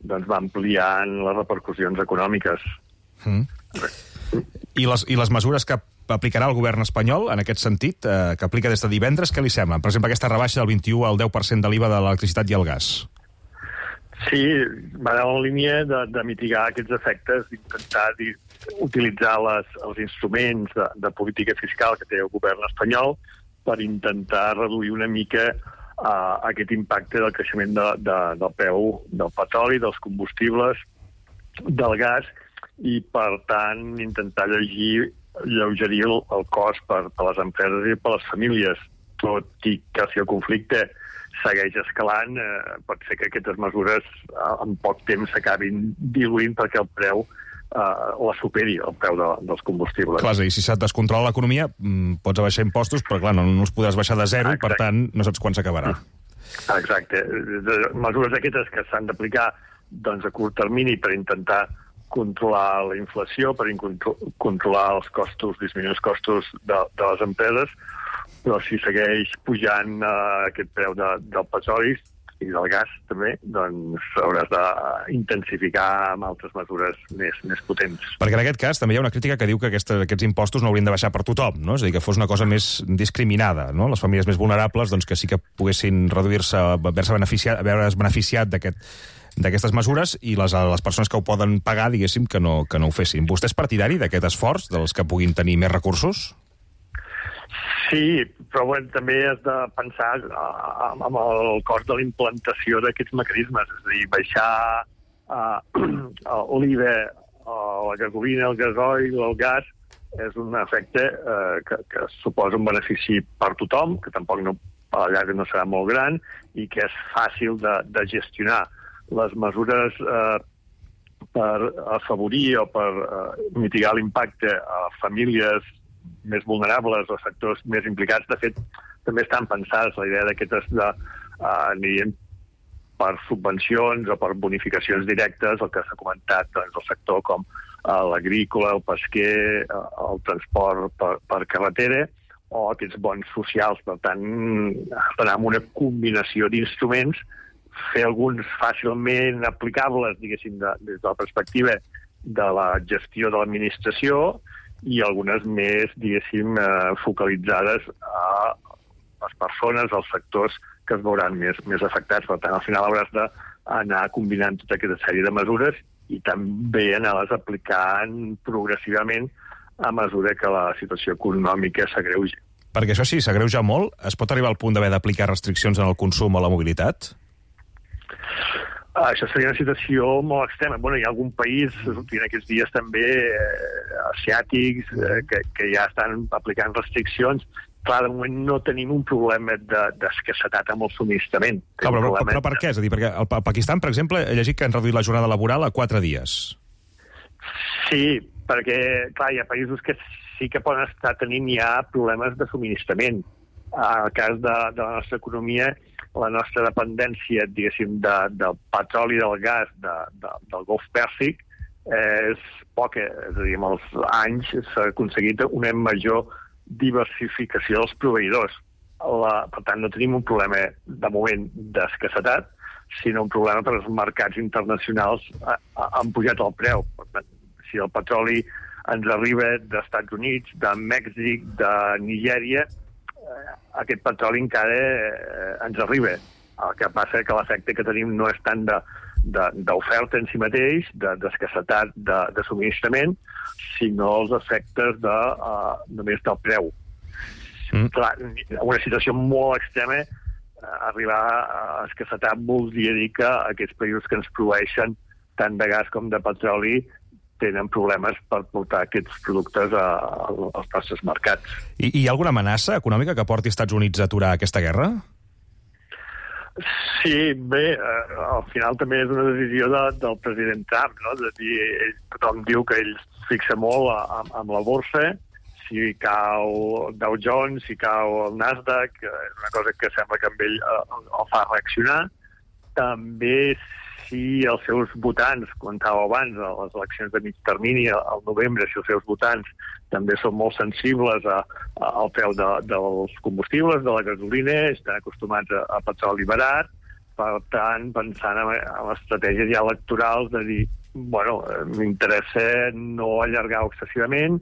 doncs va ampliant les repercussions econòmiques. I les mesures que aplicarà el govern espanyol, en aquest sentit, que aplica des de divendres, què li sembla? Per exemple, aquesta rebaixa del 21 al 10% de l'IVA de l'electricitat i el gas. Sí, va en la línia de mitigar aquests efectes, d'intentar utilitzar els instruments de política fiscal que té el govern espanyol per intentar reduir una mica aquest impacte del creixement del preu del petroli, dels combustibles, del gas, i, per tant, intentar alleugerir el cost per les empreses i per les famílies. Tot i que si el conflicte segueix escalant, pot ser que aquestes mesures en poc temps s'acabin diluint perquè el preu la superi, el preu dels combustibles. Clar, i si se't descontrola l'economia, pots abaixar impostos, però clar, no els podràs baixar de zero, i per tant no saps quan s'acabarà. Exacte. Mesures aquestes que s'han d'aplicar a curt termini per intentar controlar la inflació, per controlar els costos, disminuir els costos de les empreses, però si segueix pujant aquest preu del petroli i del gas també, doncs hauràs d'intensificar amb altres mesures més potents. Perquè en aquest cas també hi ha una crítica que diu que aquests impostos no haurien de baixar per tothom, no? És a dir, que fos una cosa més discriminada, no? Les famílies més vulnerables, doncs, que sí que poguessin reduir-se, haver-se beneficiat d'aquestes mesures, i les persones que ho poden pagar, diguéssim, que no ho fessin. Vostè és partidari d'aquest esforç, dels que puguin tenir més recursos? Sí, però també has de pensar amb el cost de la implantació d'aquests mecanismes, és a dir, baixar l'IVA, la gasolina, el gasoil, el gas, és un efecte que suposa un benefici per tothom, que tampoc a la llarga no serà molt gran, i que és fàcil de gestionar. Les mesures per afavorir o per mitigar l'impacte a famílies més vulnerables o sectors més implicats, de fet, també estan pensades. La idea d'aquestes anirien per subvencions o per bonificacions directes, el que s'ha comentat, doncs, el sector com l'agrícola, el pesquer, el transport per carretera, o aquests bons socials. Per tant, d'anar amb una combinació d'instruments, fer alguns fàcilment aplicables, diguéssim, des de la perspectiva de la gestió de l'administració, i algunes més, diguéssim, focalitzades a les persones, als sectors que es veuran més afectats. Per tant, al final hauràs d'anar combinant tota aquesta sèrie de mesures i també anar-les aplicant progressivament a mesura que la situació econòmica s'agreuja. Perquè això sí, s'agreuja molt, es pot arribar al punt d'haver d'aplicar restriccions en el consum o la mobilitat? Això seria una situació molt extrema. Hi ha algun país, en aquests dies també, asiàtics, que ja estan aplicant restriccions. Clar, de moment no tenim un problema d'escassetat amb el subministrament. Però per què? És a dir, perquè al Pakistan, per exemple, he llegit que han reduït la jornada laboral a 4 dies. Sí, perquè, clar, hi ha països que sí que poden estar tenint ja problemes de subministrament. En el cas de la nostra economia, la nostra dependència, diguéssim, del petroli, del gas, del Golf Pèrsic, és poca. És a dir, amb els anys s'ha aconseguit una major diversificació dels proveïdors. Per tant, no tenim un problema, de moment, d'escassetat, sinó un problema per als mercats internacionals han pujat el preu. Per tant, si el petroli ens arriba d'Estats Units, de Mèxic, de Nigèria, aquest petroli encara ens arriba. El que passa és que l'efecte que tenim no és tant d'oferta en si mateix, d'escassetat de subministrament, sinó els efectes només del preu. Clar, una situació molt extrema, arribar a escassetat voldria dir que aquests països que ens proveeixen tant de gas com de petroli tenen problemes per portar aquests productes als nostres mercats. I hi ha alguna amenaça econòmica que porti Estats Units a aturar aquesta guerra? Sí, bé, al final també és una decisió del president Trump, no? És a dir, tothom diu que ell fixa molt amb la borsa, si cau Dow Jones, si cau el Nasdaq, és una cosa que sembla que amb ell el fa reaccionar. També si els seus votants, comentàveu abans, a les eleccions de mig termini, al novembre, si els seus votants també són molt sensibles al preu dels combustibles, de la gasolina, estan acostumats a petroli barat, per tant, pensant en estratègies ja electorals de dir, m'interessa no allargar excessivament.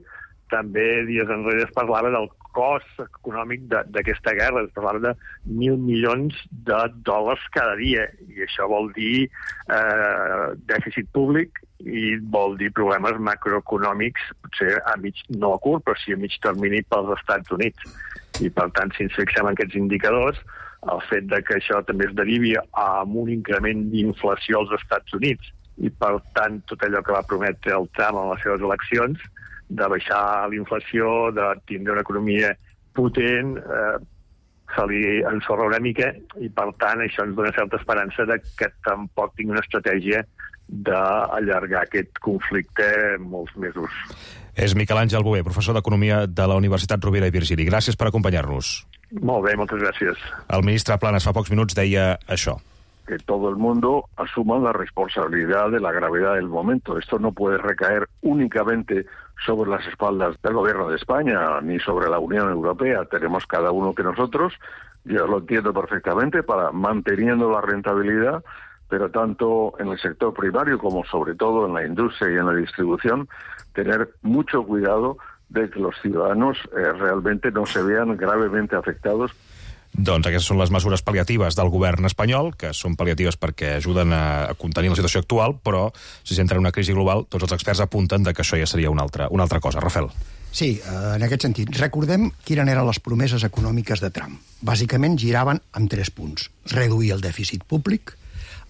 També dies enrere es parlava del cost econòmic d'aquesta guerra, es parlava de $1.000 milions cada dia, i això vol dir dèficit públic i vol dir problemes macroeconòmics, potser no a curt, però sí a mig termini pels Estats Units. I, per tant, si ens fixem en aquests indicadors, el fet de que això també es derivi amb un increment d'inflació als Estats Units i, per tant, tot allò que va prometre el Trump en les seves eleccions, de baixar l'inflació, de tindre una economia potent, se li ensorra una mica i, per tant, això ens dona certa esperança de que tampoc tingui una estratègia d'allargar aquest conflicte molts mesos. És Miquel Àngel Bover, professor d'Economia de la Universitat Rovira i Virgili. Gràcies per acompanyar-nos. Molt bé, moltes gràcies. El ministre Planas fa pocs minuts deia això. Que todo el mundo asuma la responsabilidad de la gravedad del momento. Esto no puede recaer únicamente sobre las espaldas del gobierno de España ni sobre la Unión Europea. Tenemos cada uno que nosotros, yo lo entiendo perfectamente, para manteniendo la rentabilidad, pero tanto en el sector primario como sobre todo en la industria y en la distribución, tener mucho cuidado de que los ciudadanos realmente no se vean gravemente afectados. Doncs aquestes són les mesures pal·liatives del govern espanyol, que són pal·liatives perquè ajuden a contenir la situació actual, però si s'entra en una crisi global, tots els experts apunten que això ja seria una altra cosa. Rafael. Sí, en aquest sentit. Recordem quines eren les promeses econòmiques de Trump. Bàsicament giraven amb 3 punts. Reduir el dèficit públic,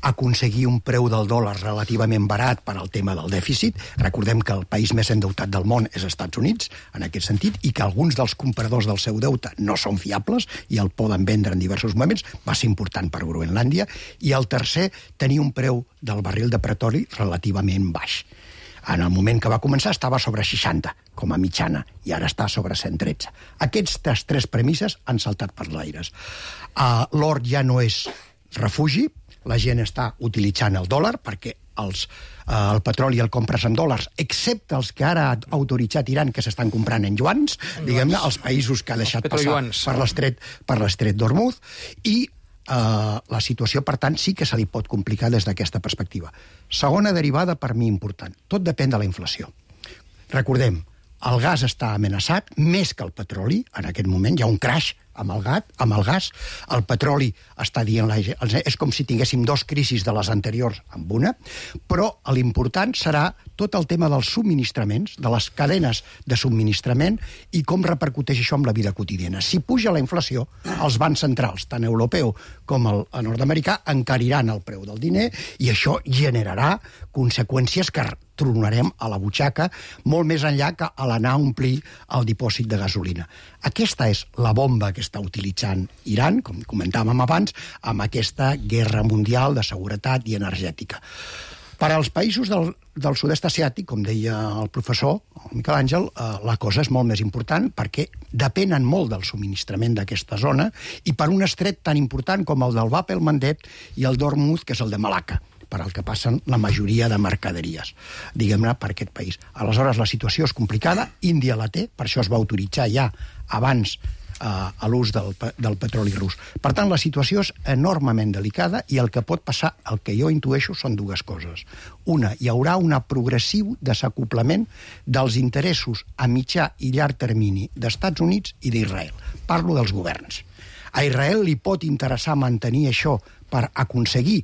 aconseguir un preu del dòlar relativament barat per al tema del dèficit. Recordem que el país més endeutat del món és Estats Units, en aquest sentit, i que alguns dels compradors del seu deute no són fiables i el poden vendre en diversos moments. Va ser important per Groenlàndia. I el tercer, tenir un preu del barril de petroli relativament baix. En el moment que va començar estava sobre 60, com a mitjana, i ara està sobre 113. Aquestes 3 premisses han saltat per l'aires. L'or ja no és refugi, la gent està utilitzant el dòlar perquè el petroli el compres en dòlars, excepte els que ara ha autoritzat Iran, que s'estan comprant en yuans, diguem-ne, els països que ha deixat passar per l'estret d'Hormuz, i la situació, per tant, sí que se li pot complicar des d'aquesta perspectiva. Segona derivada, per mi, important. Tot depèn de la inflació. Recordem, el gas està amenaçat, més que el petroli, en aquest moment. Hi ha un crash amb el gas. El petroli està dient... És com si tinguéssim 2 crisis de les anteriors amb una, però l'important serà tot el tema dels subministraments, de les cadenes de subministrament i com repercuteix això amb la vida quotidiana. Si puja la inflació, els bancs centrals, tant europeu com el nord-americà, encariran el preu del diner i això generarà conseqüències que tronarem a la butxaca molt més enllà que a l'anar a omplir el dipòsit de gasolina. Aquesta és la bomba que està utilitzant Iran, com comentàvem abans, amb aquesta guerra mundial de seguretat i energètica. Per als països del sud-est asiàtic, com deia el professor, el Miquel Àngel, la cosa és molt més important perquè depenen molt del subministrament d'aquesta zona i per un estret tan important com el del Bab el-Mandeb i el d'Hormuz, que és el de Malacca, per al que passen la majoria de mercaderies, diguem-ne, per aquest país. Aleshores, la situació és complicada, Índia la té, per això es va autoritzar ja abans a l'ús del petroli rus. Per tant, la situació és enormement delicada i el que pot passar, el que jo intueixo, són 2 coses. Una, hi haurà un progressiu desacoplament dels interessos a mitjà i llarg termini d'Estats Units i d'Israel. Parlo dels governs. A Israel li pot interessar mantenir això per aconseguir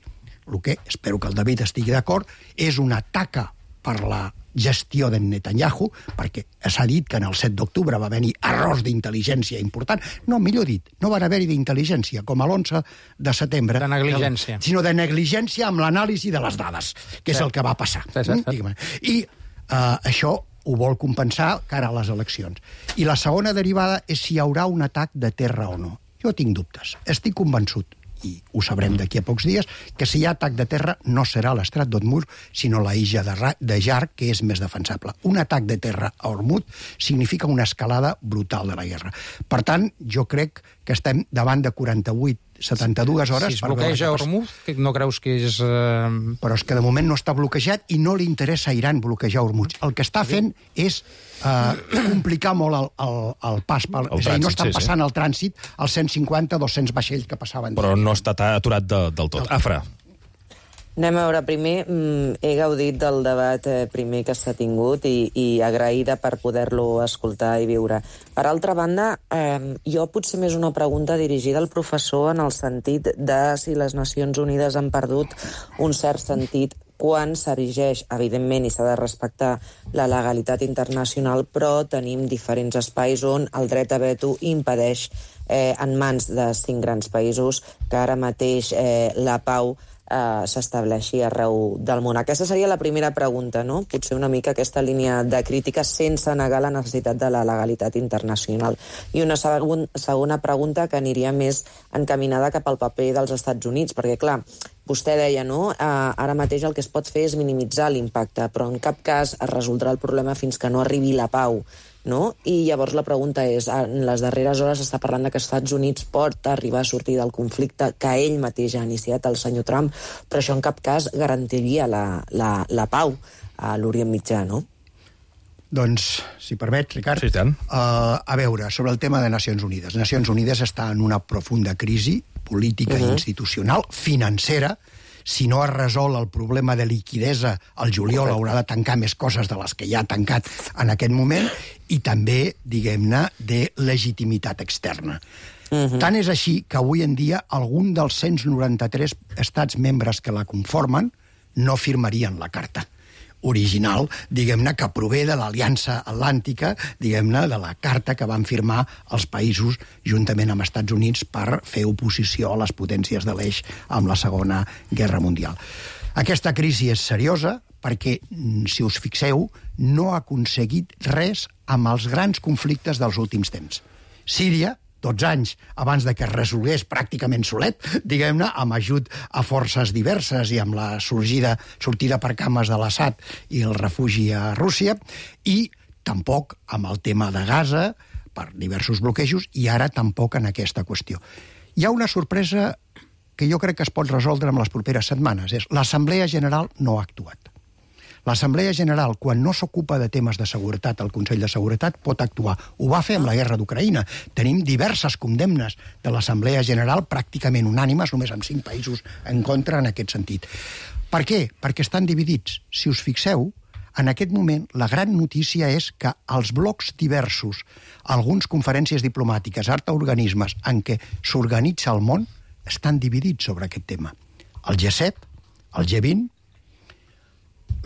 el que, espero que el David estigui d'acord, és una taca per la gestió d'en Netanyahu, perquè s'ha dit que en el 7 d'octubre va haver-hi errors d'intel·ligència important. No, millor dit, no van haver-hi d'intel·ligència, com a l'11 de setembre. De negligència. Sinó de negligència amb l'anàlisi de les dades, que és el que va passar. I això ho vol compensar cara a les eleccions. I la segona derivada és si hi haurà un atac de terra o no. Jo tinc dubtes. Estic convençut, i ho sabrem d'aquí a pocs dies, que si hi ha atac de terra no serà l'estrat d'Hormuz, sinó la illa de Jar, que és més defensable. Un atac de terra a Hormuz significa una escalada brutal de la guerra. Per tant, jo crec que estem davant de 72 hores... Si es bloqueja Hormuz, no creus que és... Però és que de moment no està bloquejat i no li interessa a Iran bloquejar Hormuz. El que està fent és complicar molt el pas. És a dir, no estan passant el trànsit als 150-200 vaixells que passaven. Però no està aturat del tot. Afra. Anem a veure, primer he gaudit del debat primer que s'ha tingut i agraïda per poder-lo escoltar i viure. Per altra banda, jo potser més una pregunta dirigida al professor en el sentit de si les Nacions Unides han perdut un cert sentit quan s'erigeix, evidentment, i s'ha de respectar la legalitat internacional, però tenim diferents espais on el dret a veto impedeix en mans de 5 grans països que ara mateix la pau s'estableixi arreu del món. Aquesta seria la primera pregunta, no? Potser una mica aquesta línia de crítica sense negar la necessitat de la legalitat internacional. I una segona pregunta que aniria més encaminada cap al paper dels Estats Units, perquè, clar, vostè deia, no? Ara mateix el que es pot fer és minimitzar l'impacte, però en cap cas es resoldrà el problema fins que no arribi la pau, no? I llavors la pregunta és, en les darreres hores s'està parlant que els Estats Units pot arribar a sortir del conflicte que ell mateix ha iniciat, el senyor Trump, però això en cap cas garantiria la pau a l'Orient Mitjà, no? Doncs, si permet, Ricard, sí, tant. A veure, sobre el tema de Nacions Unides. Nacions Unides està en una profunda crisi política i institucional, financera. Si no es resol el problema de liquidesa, el juliol haurà de tancar més coses de les que ja ha tancat en aquest moment, i també, diguem-ne, de legitimitat externa. Tant és així que avui en dia algun dels 193 estats membres que la conformen no firmarien la carta original, diguem-ne, que prové de l'Aliança Atlàntica, diguem-ne, de la carta que van firmar els països juntament amb Estats Units per fer oposició a les potències de l'eix amb la Segona Guerra Mundial. Aquesta crisi és seriosa perquè, si us fixeu, no ha aconseguit res amb els grans conflictes dels últims temps. Síria, 12 anys abans de que es resolgués pràcticament solet, diguem-ne, amb ajut a forces diverses i amb la sortida per cames de l'Assad i el refugi a Rússia, i tampoc amb el tema de Gaza, per diversos bloquejos, i ara tampoc en aquesta qüestió. Hi ha una sorpresa que jo crec que es pot resoldre en les properes setmanes, és l'Assemblea General no ha actuat. L'Assemblea General, quan no s'ocupa de temes de seguretat, el Consell de Seguretat pot actuar. Ho va fer amb la guerra d'Ucraïna. Tenim diverses condemnes de l'Assemblea General pràcticament unànimes, només amb 5 països en contra en aquest sentit. Per què? Perquè estan dividits. Si us fixeu, en aquest moment la gran notícia és que els blocs diversos, alguns conferències diplomàtiques, organismes en què s'organitza el món, estan dividits sobre aquest tema. El G7, el G20,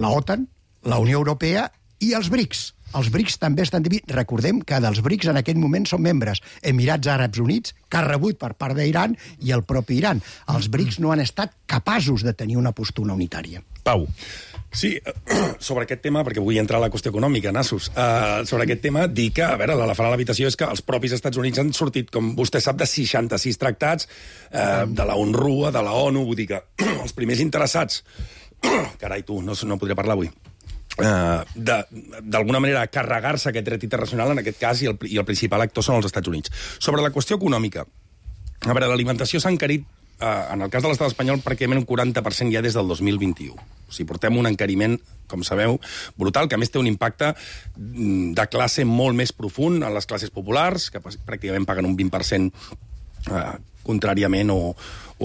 la OTAN, la Unió Europea i els BRICS. Els BRICS també estan dividits. Recordem que dels BRICS en aquest moment són membres Emirats Àrabs Units, que ha rebut per part d'Iran, i el propi Iran. Els BRICS no han estat capaços de tenir una postura unitària. Pau. Sí, sobre aquest tema, perquè vull entrar a la qüestió econòmica, nassos, sobre aquest tema, dir que, a veure, l'elefant a l'habitació és que els propis Estats Units han sortit, com vostè sap, de 66 tractats, de la UNRWA, de la ONU, vull dir que els primers interessats, carai tu, no podré parlar avui, d'alguna manera carregar-se aquest dret internacional, en aquest cas, i el principal actor són els Estats Units. Sobre la qüestió econòmica, a veure, l'alimentació s'ha encarit, en el cas de l'estat espanyol, pràcticament un 40% ja des del 2021. O sigui, portem un encariment, com sabeu, brutal, que a més té un impacte de classe molt més profund en les classes populars, que pràcticament paguen un 20% contràriament o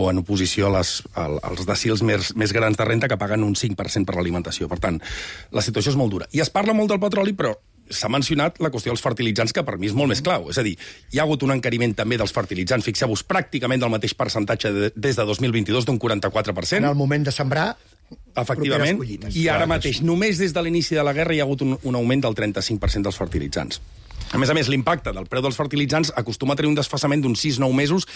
en oposició als decils més grans de renta que paguen un 5% per l'alimentació. Per tant, la situació és molt dura. I es parla molt del petroli, però s'ha mencionat la qüestió dels fertilitzants, que per mi és molt més clau. És a dir, hi ha hagut un encariment també dels fertilitzants, fixeu-vos, pràcticament del mateix percentatge des de 2022, d'un 44%. En el moment de sembrar, efectivament, i ara mateix, només des de l'inici de la guerra, hi ha hagut un augment del 35% dels fertilitzants. A més, l'impacte del preu dels fertilitzants acostuma a tenir un desfasament d'uns 6-9 mesos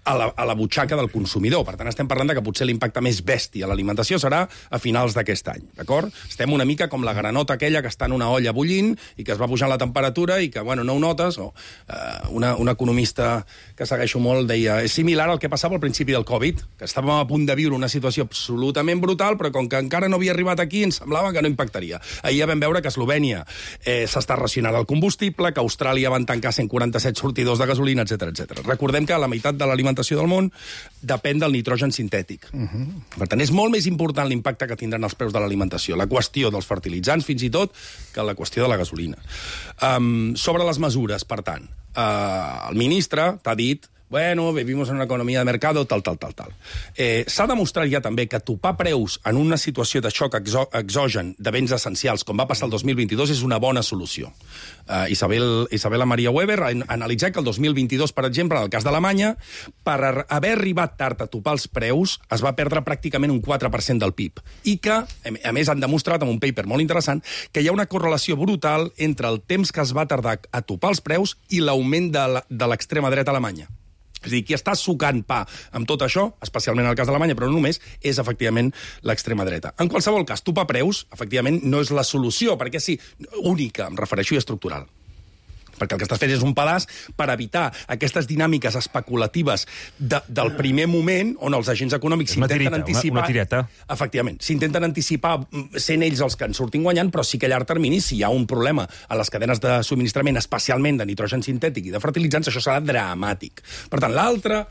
a la butxaca del consumidor. Per tant, estem parlant que potser l'impacte més bèstia a l'alimentació serà a finals d'aquest any, d'acord? Estem una mica com la granota aquella que està en una olla bullint i que es va pujant la temperatura i que, bueno, no ho notes. Un economista que segueixo molt deia, és similar al que passava al principi del Covid, que estàvem a punt de viure una situació absolutament brutal, però com que encara no havia arribat aquí, ens semblava que no impactaria. Ahir ja vam veure que a Eslovènia s'està racionant el combustible, que Austràlia van tancar 147 sortidors de gasolina, etc. Recordem que la meitat de l'alimentació del món depèn del nitrogen sintètic. Per tant, és molt més important l'impacte que tindran els preus de l'alimentació, la qüestió dels fertilitzants, fins i tot, que la qüestió de la gasolina. Sobre les mesures, per tant, el ministre t'ha dit bueno, vivimos en una economia de mercado, tal. S'ha demostrat ja també que topar preus en una situació de xoc exogen de béns essencials, com va passar el 2022, és una bona solució. Isabela Maria Weber ha analitzat que el 2022, per exemple, en el cas d'Alemanya, per haver arribat tard a topar els preus, es va perdre pràcticament un 4% del PIB. I que, a més, han demostrat, amb un paper molt interessant, que hi ha una correlació brutal entre el temps que es va tardar a topar els preus i l'augment de l'extrema dreta alemanya. És a dir, qui està sucant pa amb tot això, especialment en el cas d'Alemanya, però no només, és efectivament l'extrema dreta. En qualsevol cas, topar preus, efectivament, no és la solució, perquè sí, única, em refereixo, i estructural. Perquè el que estàs fent és un pedaç per evitar aquestes dinàmiques especulatives del primer moment on els agents econòmics s'intenten anticipar... Una tireta. Efectivament, s'intenten anticipar sent ells els que en surtin guanyant, però sí que a llarg termini, si hi ha un problema a les cadenes de subministrament, especialment de nitrogen sintètic i de fertilitzants, això serà dramàtic. Per tant, l'altra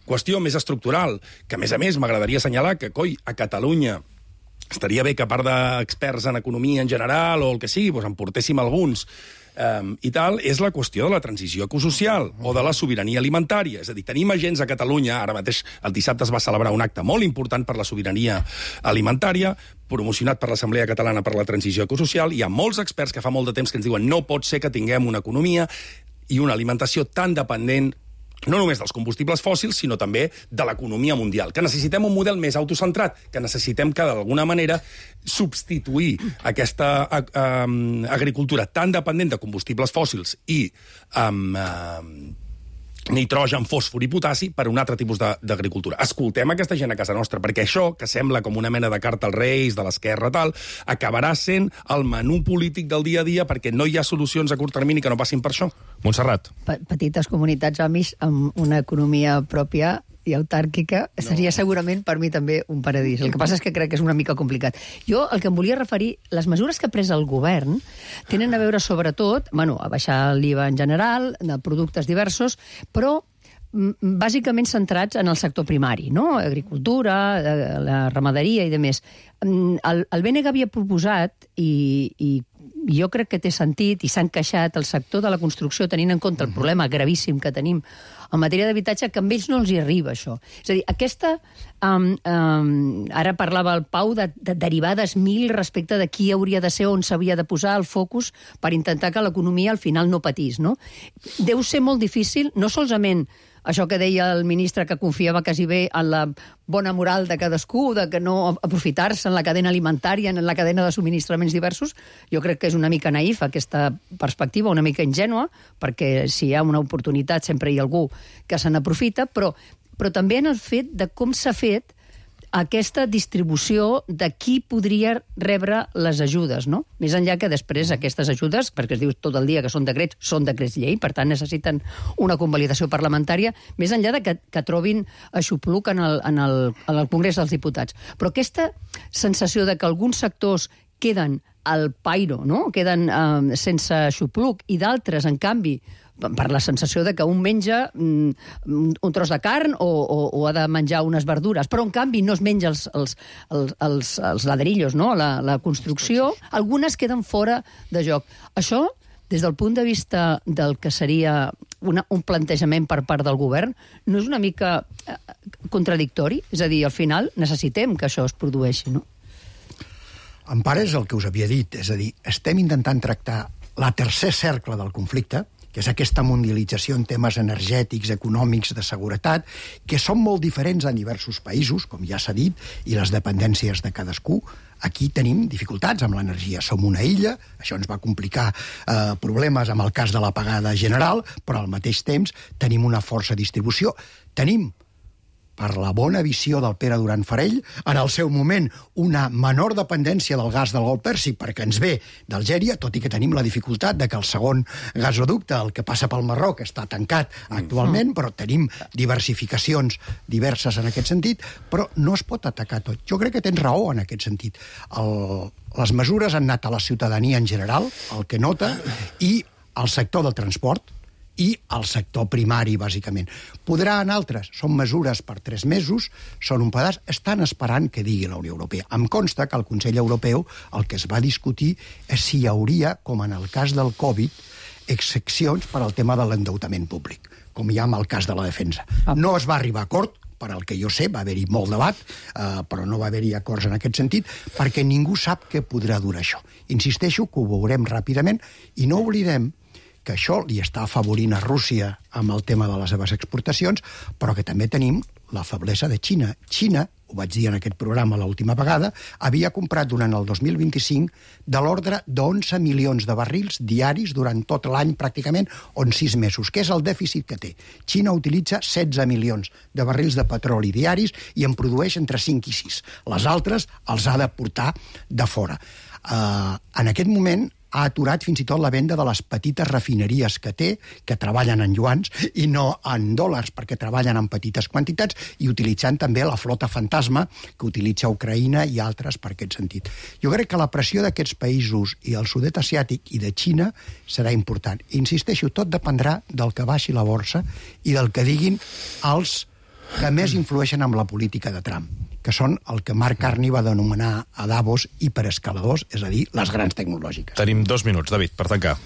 qüestió més estructural, que a més m'agradaria assenyalar que, a Catalunya estaria bé que a part d'experts en economia en general o el que sigui, en portéssim alguns, i tal, és la qüestió de la transició ecosocial o de la sobirania alimentària. És a dir, tenim agents a Catalunya, ara mateix el dissabte es va celebrar un acte molt important per la sobirania alimentària, promocionat per l'Assemblea Catalana per la Transició Ecosocial. Hi ha molts experts que fa molt de temps que ens diuen no pot ser que tinguem una economia i una alimentació tan dependent no només dels combustibles fòssils, sinó també de l'economia mundial, que necessitem un model més autocentrat, que necessitem que, d'alguna manera, substituir aquesta agricultura tan dependent de combustibles fòssils i nitrogen, fòsfor i potassi per un altre tipus d'agricultura. Escoltem aquesta gent a casa nostra, perquè això, que sembla com una mena de carta als Reis, de l'esquerra, tal, acabarà sent el menú polític del dia a dia perquè no hi ha solucions a curt termini que no passin per això. Montserrat. Petites comunitats amis amb una economia pròpia i autàrquica seria segurament per mi també un paradís. El que passa és que crec que és una mica complicat. Jo el que em volia referir, les mesures que ha pres el govern tenen a veure sobretot, a baixar l'IVA en general, de productes diversos, però bàsicament centrats en el sector primari, no? Agricultura, la ramaderia i demés. El BNG havia proposat, i jo crec que té sentit, i s'ha encaixat el sector de la construcció tenint en compte el problema gravíssim que tenim en matèria d'habitatge, que amb ells no els hi arriba, això. És a dir, aquesta... ara parlava el Pau de derivades 1000 respecte de qui hauria de ser, on s'havia de posar el focus per intentar que l'economia al final no patís, no? Deu ser molt difícil, no solament això que deia el ministre, que confiava quasi bé en la bona moral de cadascú, de que no aprofitar-se en la cadena alimentària, en la cadena de subministraments diversos. Jo crec que és una mica naïf aquesta perspectiva, una mica ingènua, perquè si hi ha una oportunitat sempre hi ha algú que se n'aprofita, però també en el fet de com s'ha fet aquesta distribució de qui podria rebre les ajudes, no? Més enllà que després aquestes ajudes, perquè es diu tot el dia que són decrets llei, per tant necessiten una convalidació parlamentària, més enllà de que trobin aixopluc en el Congrés dels Diputats. Però aquesta sensació de que alguns sectors queden al pairo, no? Queden sense aixopluc, i d'altres, en canvi, per la sensació de que un menja un tros de carn o ha de menjar unes verdures, però en canvi no es menja els ladrillos, no? La construcció, algunes queden fora de joc. Això, des del punt de vista del que seria un plantejament per part del govern, no és una mica contradictori? És a dir, al final necessitem que això es produeixi, no? En part és el que us havia dit, és a dir, estem intentant tractar la tercer cercle del conflicte, que és aquesta mundialització en temes energètics, econòmics, de seguretat, que són molt diferents en diversos països, com ja s'ha dit, i les dependències de cadascú. Aquí tenim dificultats amb l'energia. Som una illa, això ens va complicar problemes amb el cas de l'apagada general, però al mateix temps tenim una força distribució. Tenim, per la bona visió del Pere Duran Farell, en el seu moment una menor dependència del gas del Golf Pèrsic perquè ens ve d'Algèria, tot i que tenim la dificultat de que el segon gasoducte, el que passa pel Marroc, està tancat actualment, però tenim diversificacions diverses en aquest sentit, però no es pot atacar tot. Jo crec que tens raó en aquest sentit. Les mesures han anat a la ciutadania en general, el que nota, i al sector del transport, i al sector primari, bàsicament. Podrà en altres, són mesures per 3 mesos, són un pedaç, estan esperant que digui la Unió Europea. Em consta que al Consell Europeu el que es va discutir és si hi hauria, com en el cas del Covid, excepcions per al tema de l'endeutament públic, com hi ha en el cas de la defensa. No es va arribar a acord, per al que jo sé, va haver-hi molt debat, però no va haver-hi acords en aquest sentit, perquè ningú sap què podrà durar això. Insisteixo que ho veurem ràpidament i no oblidem que això li està afavorint a Rússia amb el tema de les seves exportacions, però que també tenim la feblesa de Xina. Xina, ho vaig dir en aquest programa l'última vegada, havia comprat durant el 2025 de l'ordre d'11 milions de barrils diaris durant tot l'any pràcticament, o en 6 mesos, que és el dèficit que té. Xina utilitza 16 milions de barrils de petroli diaris i en produeix entre 5 i 6. Les altres els ha de portar de fora. En aquest moment ha aturat fins i tot la venda de les petites refineries que té, que treballen en iuans i no en dòlars, perquè treballen en petites quantitats i utilitzant també la flota fantasma que utilitza Ucraïna i altres per aquest sentit. Jo crec que la pressió d'aquests països i el sud-est asiàtic i de Xina serà important. Insisteixo, tot dependrà del que baixi la borsa i del que diguin els que més influeixen amb la política de Trump, que són el que Mark Carney va denominar a Davos hiperescaladors, és a dir, les grans tecnològiques. Tenim 2 minuts, David, per tancar.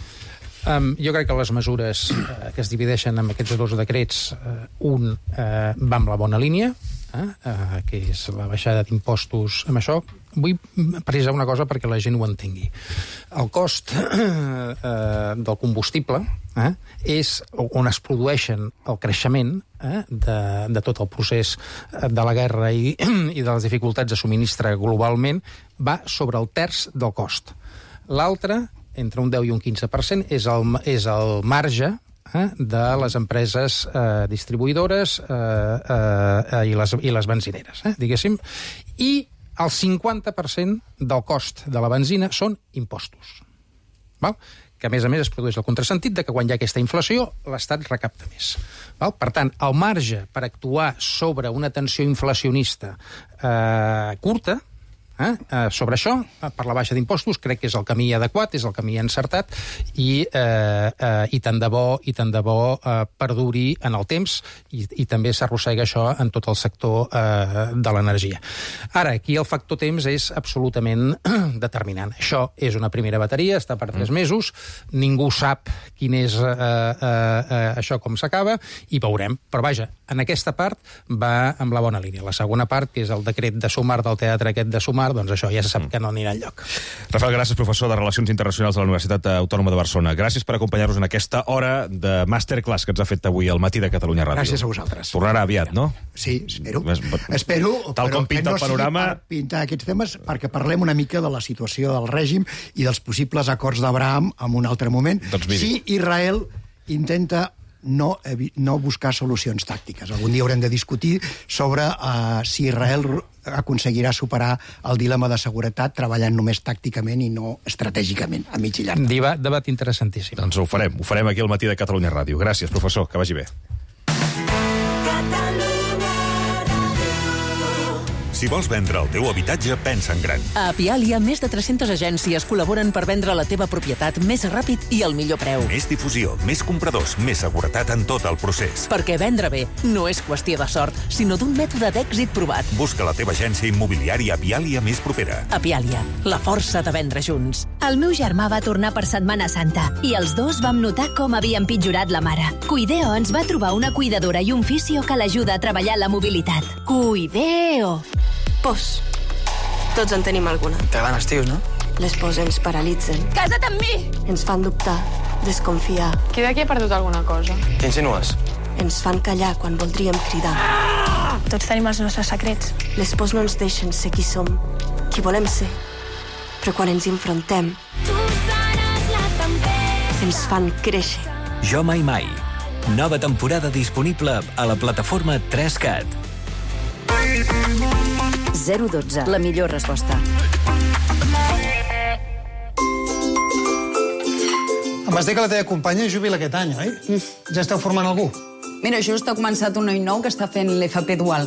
Jo crec que les mesures que es divideixen en aquests 2 decrets, un va amb la bona línia, que és la baixada d'impostos amb això. Vull precisar una cosa perquè la gent ho entengui. El cost del combustible és on es produeixen el creixement de tot el procés de la guerra i de les dificultats de subministre globalment, va sobre el terç del cost. L'altre, entre un 10 i un 15%, és el marge de les empreses distribuïdores i les benzineres, diguéssim, i el 50% del cost de la benzina són impostos. Val? Que, a més es produeix el contrasentit de que quan hi ha aquesta inflació, l'Estat recapta més. Val? Per tant, el marge per actuar sobre una tensió inflacionista curta, sobre això, per la baixa d'impostos, crec que és el camí adequat, és el camí encertat, i tant de bo perduri en el temps, i també s'arrossega això en tot el sector de l'energia. Ara, aquí el factor temps és absolutament determinant. Això és una primera bateria, està per 3 mesos, ningú sap quin és això com s'acaba, i veurem. Però vaja, en aquesta part va amb la bona línia. La segona part, que és el decret de Sumar, del teatre aquest de Sumar, doncs això ja se sap que no anirà enlloc. Rafael Gràcies, professor de Relacions Internacionals de la Universitat Autònoma de Barcelona. Gràcies per acompanyar-nos en aquesta hora de masterclass que ens ha fet avui al matí de Catalunya Ràdio. Gràcies a vosaltres. Tornarà aviat, no? Sí, espero. Tal com pinta el panorama... No sigui per pintar aquests temes, perquè parlem una mica de la situació del règim i dels possibles acords d'Abraham en un altre moment. Doncs miri. Si Israel intenta no buscar solucions tàctiques. Algun dia haurem de discutir sobre si Israel aconseguirà superar el dilema de seguretat treballant només tàcticament i no estratègicament, a mig i llarg. Debat interessantíssim. Doncs ho farem aquí al matí de Catalunya Ràdio. Gràcies, professor, que vagi bé. Si vols vendre el teu habitatge, pensa en gran. A Apialia, més de 300 agències col·laboren per vendre la teva propietat més ràpid i al millor preu. Més difusió, més compradors, més seguretat en tot el procés. Perquè vendre bé no és qüestió de sort, sinó d'un mètode d'èxit provat. Busca la teva agència immobiliària Apialia més propera. Apialia, la força de vendre junts. El meu germà va tornar per Setmana Santa i els dos vam notar com havia empitjorat la mare. Cuideo ens va trobar una cuidadora i un fisio que l'ajuda a treballar la mobilitat. Cuideo! Pos. Tots en tenim alguna. T'agraden els tios, no? Les pors ens paralitzen. Casa't amb mi! Ens fan dubtar, desconfiar. Qui d'aquí ha perdut alguna cosa? Què insinues? Ens fan callar quan voldríem cridar. Tots tenim els nostres secrets. Les pors no ens deixen ser qui som, qui volem ser. Però quan ens enfrontem, ens fan créixer. Jo mai mai. Nova temporada disponible a la plataforma 3CAT. 012, la millor resposta. Em vas dir que la teva companya jubila aquest any, oi? Ja esteu formant algú? Mira, just ha començat un noi nou que està fent l'FP dual.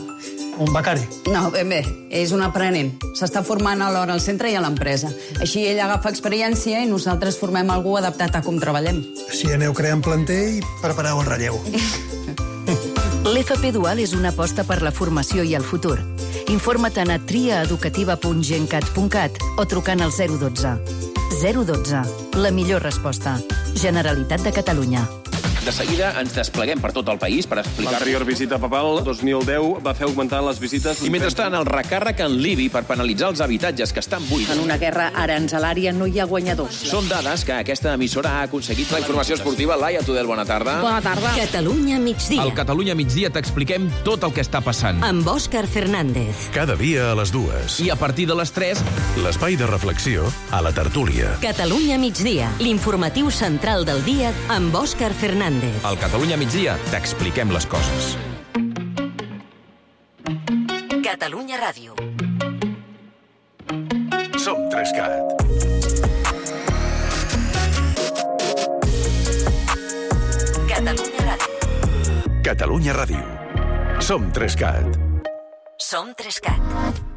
Un becari? No, ben bé, és un aprenent. S'està formant alhora al centre i a l'empresa. Així ell agafa experiència i nosaltres formem algú adaptat a com treballem. Així aneu creant planter i prepareu el relleu. L'FP Dual és una aposta per la formació i el futur. Informa't a triaeducativa.gencat.cat o trucant al 012. 012, la millor resposta. Generalitat de Catalunya. De seguida ens despleguem per tot el país per explicar... L'anterior visita papal, 2010, va fer augmentar les visites... I mentrestant, el recàrrec en l'IBI per penalitzar els habitatges que estan buits. En una guerra aranzelària no hi ha guanyadors. Són dades que aquesta emissora ha aconseguit. La informació esportiva, Laia Tudel, bona tarda. Bona tarda. Catalunya migdia. Al Catalunya migdia t'expliquem tot el que està passant. Amb Òscar Fernández. Cada dia a les 2. I a partir de les 3... L'espai de reflexió a la tertúlia. Catalunya migdia, l'informatiu central del dia amb Òscar Fernández. Al Catalunya migdia t'expliquem les coses. Catalunya Ràdio. Som 3CAT. Catalunya Ràdio. Catalunya Ràdio. Som 3CAT. Som 3CAT.